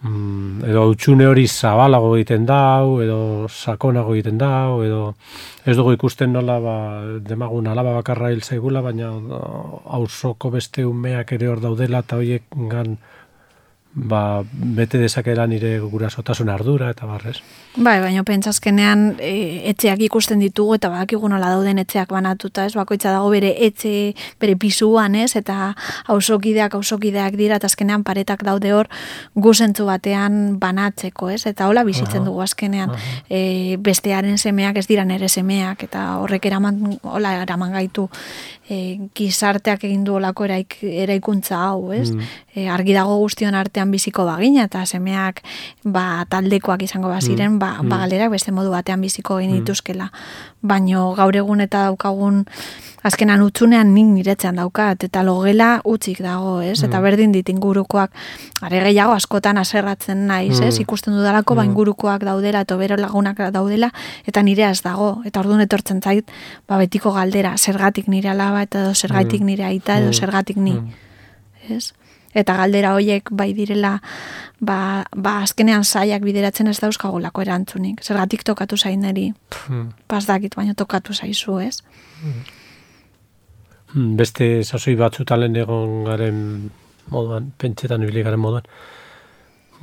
Mm, edo utxune hori zabalago egiten dau, edo sakonago egiten dau, edo ez dugu ikusten nola ba, demagun alaba bakarra hil zaigula, baina auzoko beste umeak ere hor daudela, eta horiek gan ba, bete dezakela nire gurasotasun ardura, eta barrez. Bai, baina pentsazkenean e, etxeak ikusten ditugu, eta badakigu nola dauden etxeak banatuta, ez, bakoitza dago bere etxe, bere pisuan, ez, eta auzokideak, auzokideak dira, eta azkenean paretak daude hor guzentzu batean banatzeko, ez, eta hola bizitzen dugu azkenean, e, bestearen semeak ez dira nere semeak, eta horrek eraman, hola eraman gaitu, e, gizarteak egin du olako eraik, eraikuntza hau, ez, mm. e, argi dago guztion artean biziko bagina, eta semeak ba, taldekoak izango baziren, mm. ba, ba galerak beste modu batean biziko genituzkela. Baino gaur egun eta daukagun azkenan utzunean nik niretzean daukat, eta logela utzik dago, ez? Mm. Eta berdin dit ingurukoak, are gehiago askotan aserratzen naiz, ez? Mm. Ikusten dudalako, mm. ba ingurukoak daudela, eta bero lagunak daudela, eta nire az dago, eta orduan etortzen zait, ba betiko galdera, zergatik nire alaba, eta edo zergatik nire aita, edo zergatik ni, ez? Eta galdera hoiek bai direla, ba, ba azkenean zaiak bideratzen ez dauzkagolako erantzunik. Zergatik tokatu zaineri, hmm. pas dakit, baina tokatu zaizu, ez? Hmm. Beste sasoi batzutan lehen egon garen moduan, pentsetan ibili garen moduan.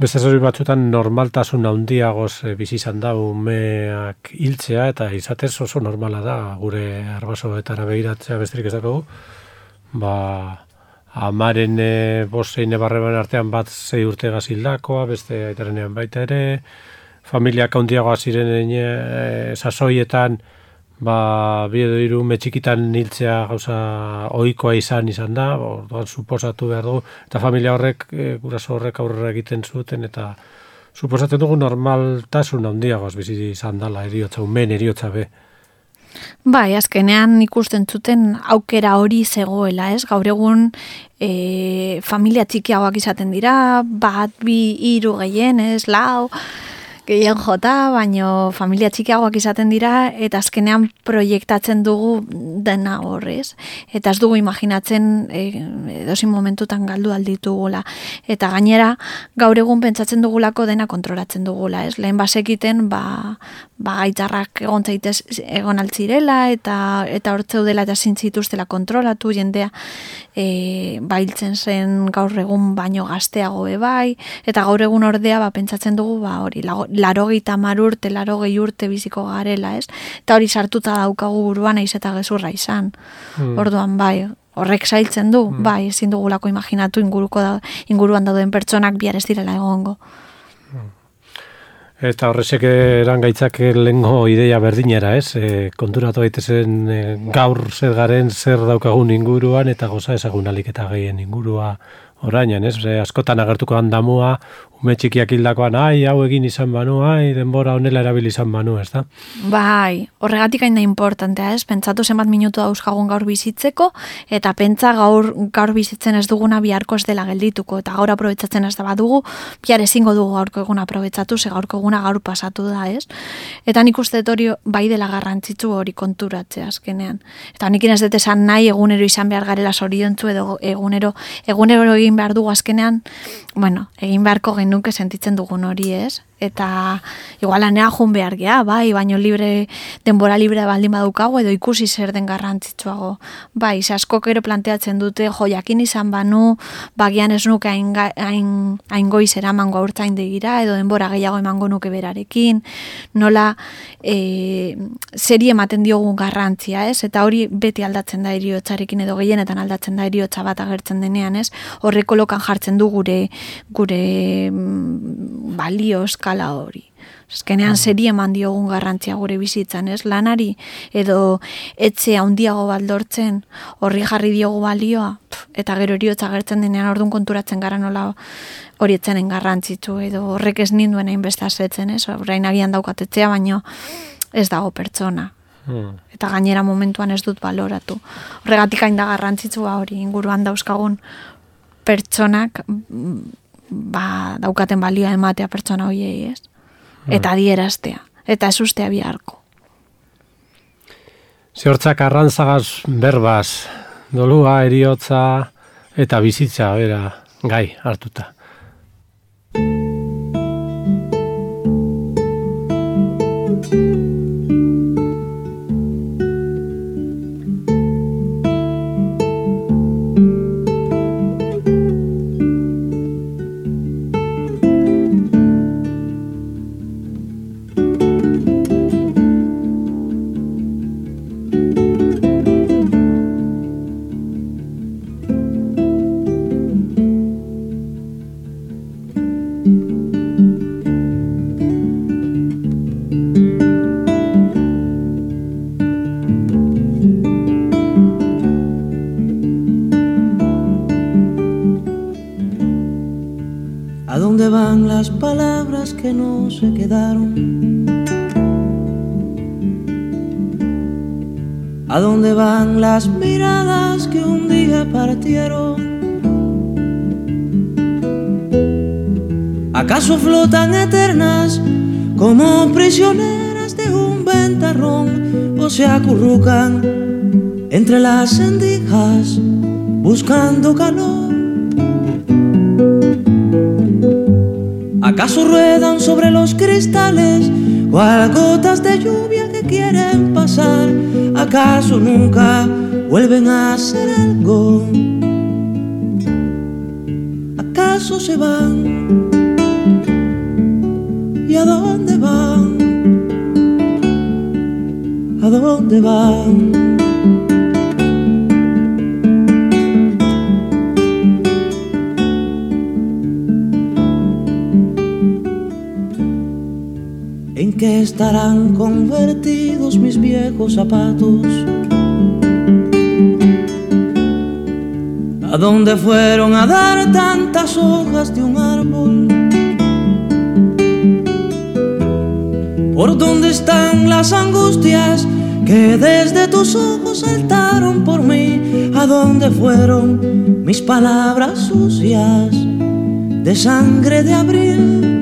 Beste sasoi batzutan normaltasun handiagoz e, bizi izan da umeak hiltzea, eta izatez oso normala da, gure arbasoetara begiratzea besterik ez dago, ba... Amaren e, bostein ebarreban artean bat zei urte gazildakoa, beste aitarenean baita ere, familiak handiagoa ziren e, sasoietan, ba, bi edo hiru metxikitan hiltzea gauza ohikoa izan izan da, orduan suposatu behar dugu, eta familia horrek, e, guraso horrek aurrera egiten zuten, eta suposatzen dugu normaltasun handiagoaz bizi izan dela, eriotza, umen eriotza be. Bai, azkenean ikusten zuten aukera hori zegoela, ez? Gaur egun e, familia txikiagoak izaten dira, bat, bi, hiru gehien, ez, lau, gehien jota, baino familia txikiagoak izaten dira, eta azkenean proiektatzen dugu dena horrez. Eta ez dugu imaginatzen e, edozin momentutan galdu alditugula. Eta gainera, gaur egun pentsatzen dugulako dena kontrolatzen dugula, ez? Lehen basekiten, ba, ba gaitzarrak egon zaitez egon altzirela, eta eta hortzeudela eta zintzituztela kontrolatu, jendea e, bailtzen zen gaur egun baino gazteago bai, eta gaur egun ordea ba, pentsatzen dugu, ba, hori, larogeita hamar urte, larogei urte biziko garela, ez? Eta hori sartuta daukagu buruan naiz eta gezurra izan. Hmm. Orduan, bai, horrek zailtzen du, hmm. bai, ezin dugulako imaginatu inguruko da, inguruan dauden pertsonak bihar ez direla egongo. Eta horrezek eran gaitzak lehengo ideia berdinera, ez? E, konturatu daitezen e, gaur zer garen, zer daukagun inguruan, eta goza ezagun alik eta gehien ingurua orainan, ez? E, askotan agertuko handamua, ume txikiak hildakoan, ai, hau egin izan banu, ai, denbora honela erabili izan banu, ez da? Bai, horregatik hain da importantea, ez? Pentsatu zenbat minutu dauzkagun gaur bizitzeko, eta pentsa gaur, gaur bizitzen ez duguna biharko ez dela geldituko, eta gaur aprobetsatzen ez da badugu, bihar ezingo dugu gaurko eguna aprobetsatu, ze gaurko eguna gaur pasatu da, ez? Eta nik uste hori bai dela garrantzitsu hori konturatzea azkenean. Eta nik ez dut esan nahi egunero izan behar garela zoriontzu edo egunero, egunero egin behar dugu azkenean, bueno, egin beharko genuke sentitzen dugun hori, ez? eta igual lanera joan behar gea, bai, baino libre, denbora libre baldin badukago, edo ikusi zer den garrantzitsuago. Bai, ze askok ere planteatzen dute, jo, jakin izan banu, bagian ez nuke hain, hain, hain goiz eramango haurtzaindegira, edo denbora gehiago emango nuke berarekin, nola e, zeri ematen diogun garrantzia, ez? Eta hori beti aldatzen da heriotzarekin, edo gehienetan aldatzen da heriotza bat agertzen denean, ez? Horreko lokan jartzen du gure, gure balio eskala hori. Azkenean zeri eman diogun garrantzia gure bizitzan, ez? Lanari edo etxe handiago baldortzen horri jarri diogu balioa, eta gero heriotza agertzen denean orduan konturatzen gara nola hori etzenen garrantzitsu, edo horrek ez ninduen hainbeste asetzen, ez? Orain agian daukatetzea, baino ez dago pertsona. Hmm. Eta gainera momentuan ez dut baloratu. Horregatik hain da garrantzitsua hori inguruan dauzkagun pertsonak ba, daukaten balioa ematea pertsona horiei, ez? Eta adieraztea, eta ez ustea biharko. Ziortzak arrantzagaz berbaz, dolua, heriotza eta bizitza bera gai hartuta. Las palabras que no se quedaron, ¿a dónde van las miradas que un día partieron? ¿Acaso flotan eternas como prisioneras de un ventarrón o se acurrucan entre las endijas buscando calor? ¿Acaso ruedan sobre los cristales cual gotas de lluvia que quieren pasar? ¿Acaso nunca vuelven a hacer algo? ¿Acaso se van? ¿Y a dónde van? ¿A dónde van? ¿En qué estarán convertidos mis viejos zapatos? ¿A dónde fueron a dar tantas hojas de un árbol? ¿Por dónde están las angustias que desde tus ojos saltaron por mí? ¿A dónde fueron mis palabras sucias de sangre de abril?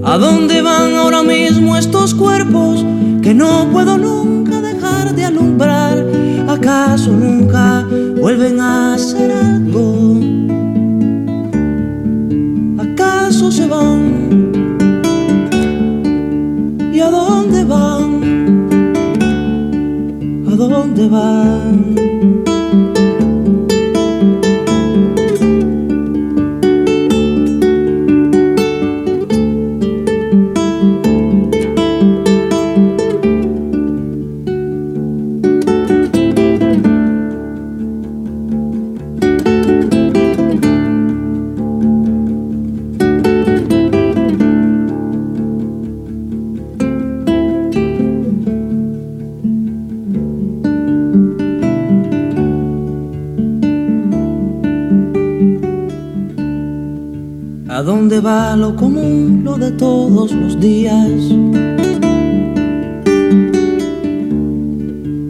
¿A dónde van ahora mismo estos cuerpos que no puedo nunca dejar de alumbrar? ¿Acaso nunca vuelven a hacer algo? ¿Acaso se van? ¿Y a dónde van? ¿A dónde van? ¿A dónde va lo común, lo de todos los días?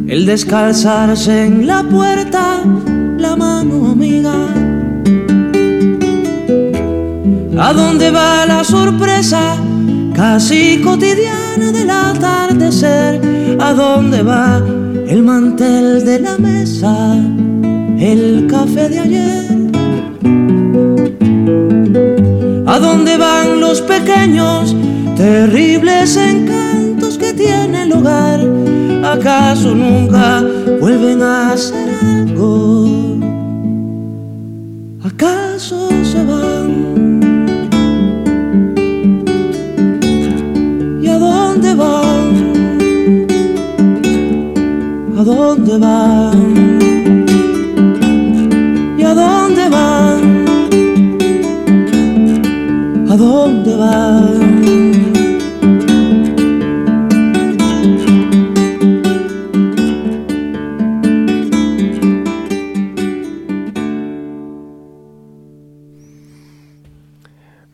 El descalzarse en la puerta, la mano amiga. ¿A dónde va la sorpresa casi cotidiana del atardecer? ¿A dónde va el mantel de la mesa, el café de ayer? ¿A dónde dónde van los pequeños, terribles encantos que tiene el hogar? ¿Acaso nunca vuelven a hacer algo? ¿Acaso se van? ¿Y a dónde van? ¿A dónde van? ¿Y a dónde van? ¿A dónde van?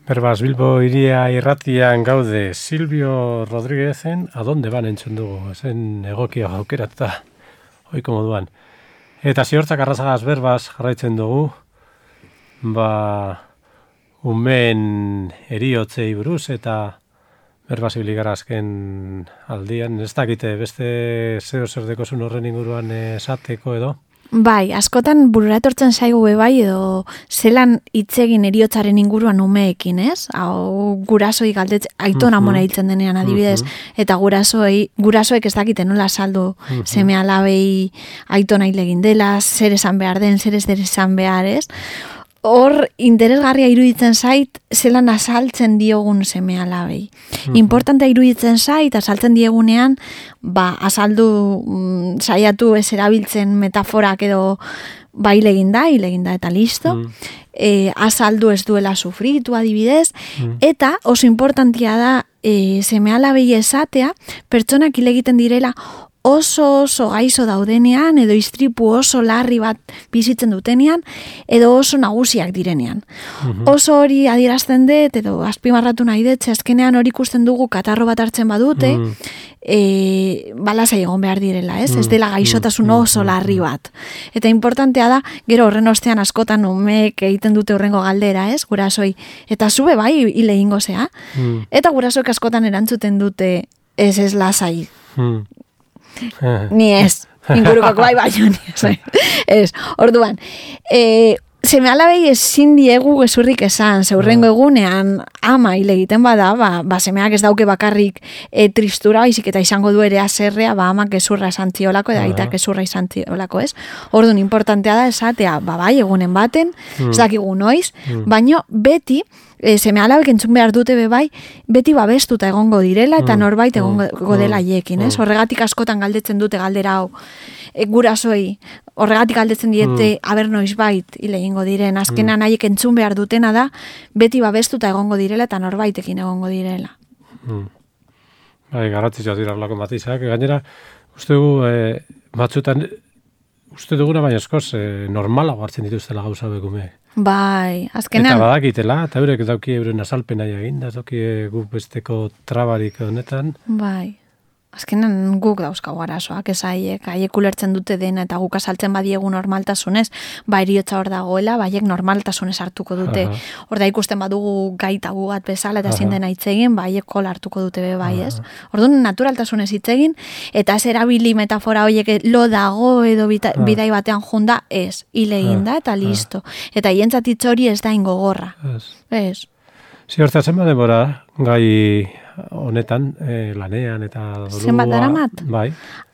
Berbaz, Bilbo iria irratian gaude Silvio Rodríguezen, adonde ban entzun dugu, zen egokia aukeratuta, oiko moduan. Eta ziortzak arrazagaz berbaz jarraitzen dugu, ba, umeen eriotzei buruz, eta berbaz ibiligara azken aldian, ez dakite beste zeo zer dekozun horren inguruan esateko edo? Bai, askotan burura etortzen zaigu bai edo zelan hitzegin eriotzaren inguruan umeekin, ez? Hau gurasoi galdetzen, aitona Mhm. mona hiltzen denean adibidez, Mhm. eta gurasoi, gurasoek ez dakite nola saldu Mhm. seme alabei aitona hil egin dela, zer esan behar den, zer ez der esan behar, ez? Hor interesgarria iruditzen zait zelan azaltzen diogun seme alabei. Mhm. Importantea iruditzen zait azaltzen diegunean, ba azaldu mm, saiatu ez erabiltzen metaforak edo ba hil egin da, hil egin da eta listo. Mm. E, azaldu ez duela sufritu adibidez, Mm. eta oso importantia da e, seme alabei esatea pertsonak hil egiten direla oso oso gaizo daudenean, edo istripu oso larri bat bizitzen dutenean, edo oso nagusiak direnean. Mhm. Oso hori adierazten dut, edo azpimarratu nahi dut, ze azkenean hori ikusten dugu katarro bat hartzen badute, Mm. e, balasai egon behar direla, ez? Mm, Ez dela gaixotasun mm, oso mm, larri mm. bat. Eta importantea da, gero horren ostean askotan umeek egiten dute horrengo galdera, ez? Gurasoi. Eta zube bai hile egingo zea. Mm. Eta gurasoek askotan erantzuten dute ez ez lasai. Mm. Eh. Ni ez, ingurukak bai baino, ni ez. Ez, orduan, e, seme alabei ezin diegu gezurrik esan, zeurrengo egunean ama hile egiten bada, ba, ba semeak ez dauke bakarrik e, tristura, baizik eta izango du ere azerrea, ba amak gezurra esan ziolako, eta Aha. aitak gezurra izan ziolako, ez? Orduan, importantea da esatea, ba bai, egunen baten, Mm. ez dakigu noiz, Mm. baino beti, e, seme alabek entzun behar dute be bai, beti babestuta egongo direla, eta Mm. norbait egongo Mm. dela haiekin, ez? Mm. Horregatik askotan galdetzen dute galdera hau, e, gurasoi, horregatik galdetzen diete, aber noiz bait, hile egingo diren, azkenan haiek entzun behar dutena da, beti babestuta egongo direla, eta norbaitekin egongo direla. Mm. Bai, garrantzitsua dira horrelako matizak. Gainera, uste dugu, e, batzutan, uste duguna baina eskoz, e, normalago hartzen dituztela gauza bekume. Bai, Eta azkenan, badakitela, eta eurek dauki euren azalpena egin, da dauki guk besteko trabarik honetan. bai. Azkenan guk dauzkagu arazoak, ez haiek, haiek ulertzen dute dena, eta guk azaltzen badiegu normaltasunez, ba eriotza hor dagoela, baiek normaltasunez hartuko dute. Aha. Hor da ikusten badugu gaitagu bat bezala, eta ezin Aha. dena hitz egin, ba haiek kola hartuko dute be bai, ez? Orduan naturaltasunez hitz egin, eta ez erabili metafora horiek lo dago edo bita, Ah. bidai batean junda, ez, hile egin da, eta listo. Eta hientzat hitz hori ez da ingogorra, Ez. ez? Ziortza zenbat denbora gai honetan, e, lanean eta dolua. Zenbat daramat? Bai.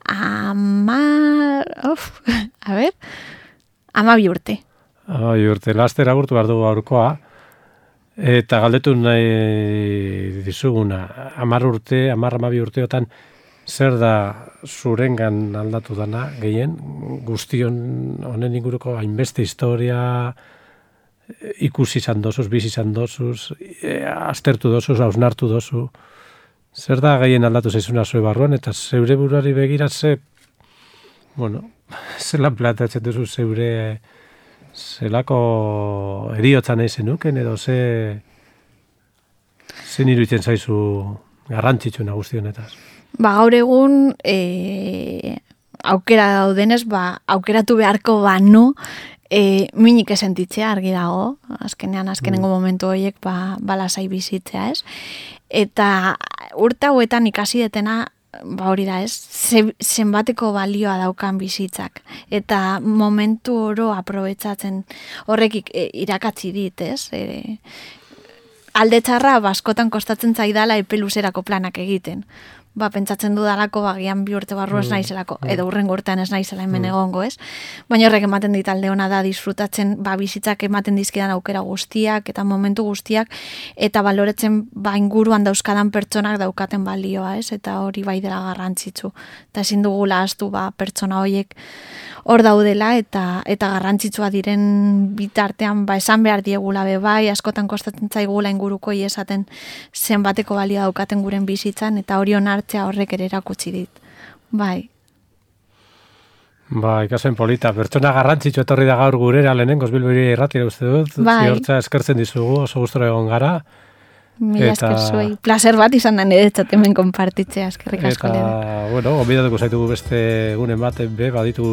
Ama... Uf, a ber... Ama bi urte. Bai, urte, laster agurtu behar dugu aurkoa. Eta galdetu nahi dizuguna, amar urte, amar amabi urteotan, zer da zurengan aldatu dana gehien, guztion honen inguruko hainbeste historia, ikusi izan dozuz, bizi izan dozuz, e, aztertu dozuz, hausnartu dozu. Zer da gehien aldatu zaizuna zue barruan, eta zeure buruari begira ze, bueno, zelan plantatzen duzu zeure zelako eriotza nahi zenuken, edo ze zen iruditzen zaizu garrantzitsu nagusti honetaz. Ba, gaur egun e, aukera daudenez, ba, aukeratu beharko banu e, minik esentitzea argi dago, azkenean, azkenengo momentu horiek ba, balasai bizitzea, ez? Eta urte hauetan ikasi detena, ba hori da, ez? Ze, zenbateko balioa daukan bizitzak. Eta momentu oro aprobetsatzen horrekik e, irakatsi dit, ez? E, alde txarra, baskotan kostatzen zaidala epe luzerako planak egiten. Ba, pentsatzen dudalako, bagian bi urte barru ez naizelako, edo urrengo urtean ez naizela hemen egongo, ez? Baina horrek ematen dit alde ona da disfrutatzen, ba, bizitzak ematen dizkidan aukera guztiak, eta momentu guztiak, eta baloretzen, ba, inguruan dauzkadan pertsonak daukaten balioa, ez? Eta hori bai dela garrantzitsu. Eta ezin dugula ahaztu, ba, pertsona horiek hor daudela, eta eta garrantzitsua diren bitartean, ba, esan behar diegula be bai, askotan kostatzen zaigula ingurukoi esaten zenbateko balioa daukaten guren bizitzan, eta hori onartzea horrek ere erakutsi dit. Bai. Ba, ikasen polita. Pertsona garrantzitsu etorri da gaur gurera lehenengoz Bilbiri irratira uste dut. Bai. Ziortza eskertzen dizugu, oso gustora egon gara. Mila esker zuei. Placer bat izan da niretzat hemen konpartitzea, eskerrik asko lehen. Eta, bueno, gonbidatuko zaitugu beste egunen baten be, baditu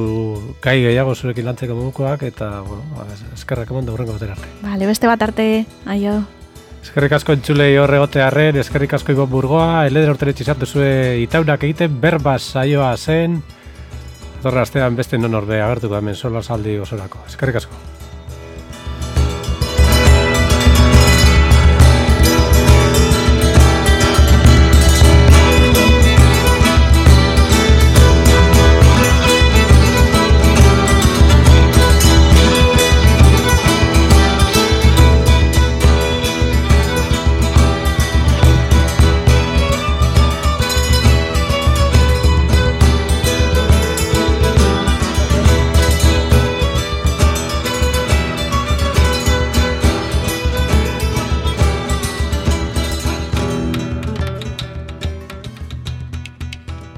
gai gehiago zurekin lantzeko modukoak, eta, bueno, eskerrak eman da hurrengo batera arte. Vale, beste bat arte, aio. Eskerrik asko entzulei horre gotearren, eskerrik asko Ibon Burgoa, eleder urteren txizatu zue itaunak egiten, berbaz saioa zen, etorra astean beste non orbe agertuko hemen sola saldi osorako. Eskerrik asko.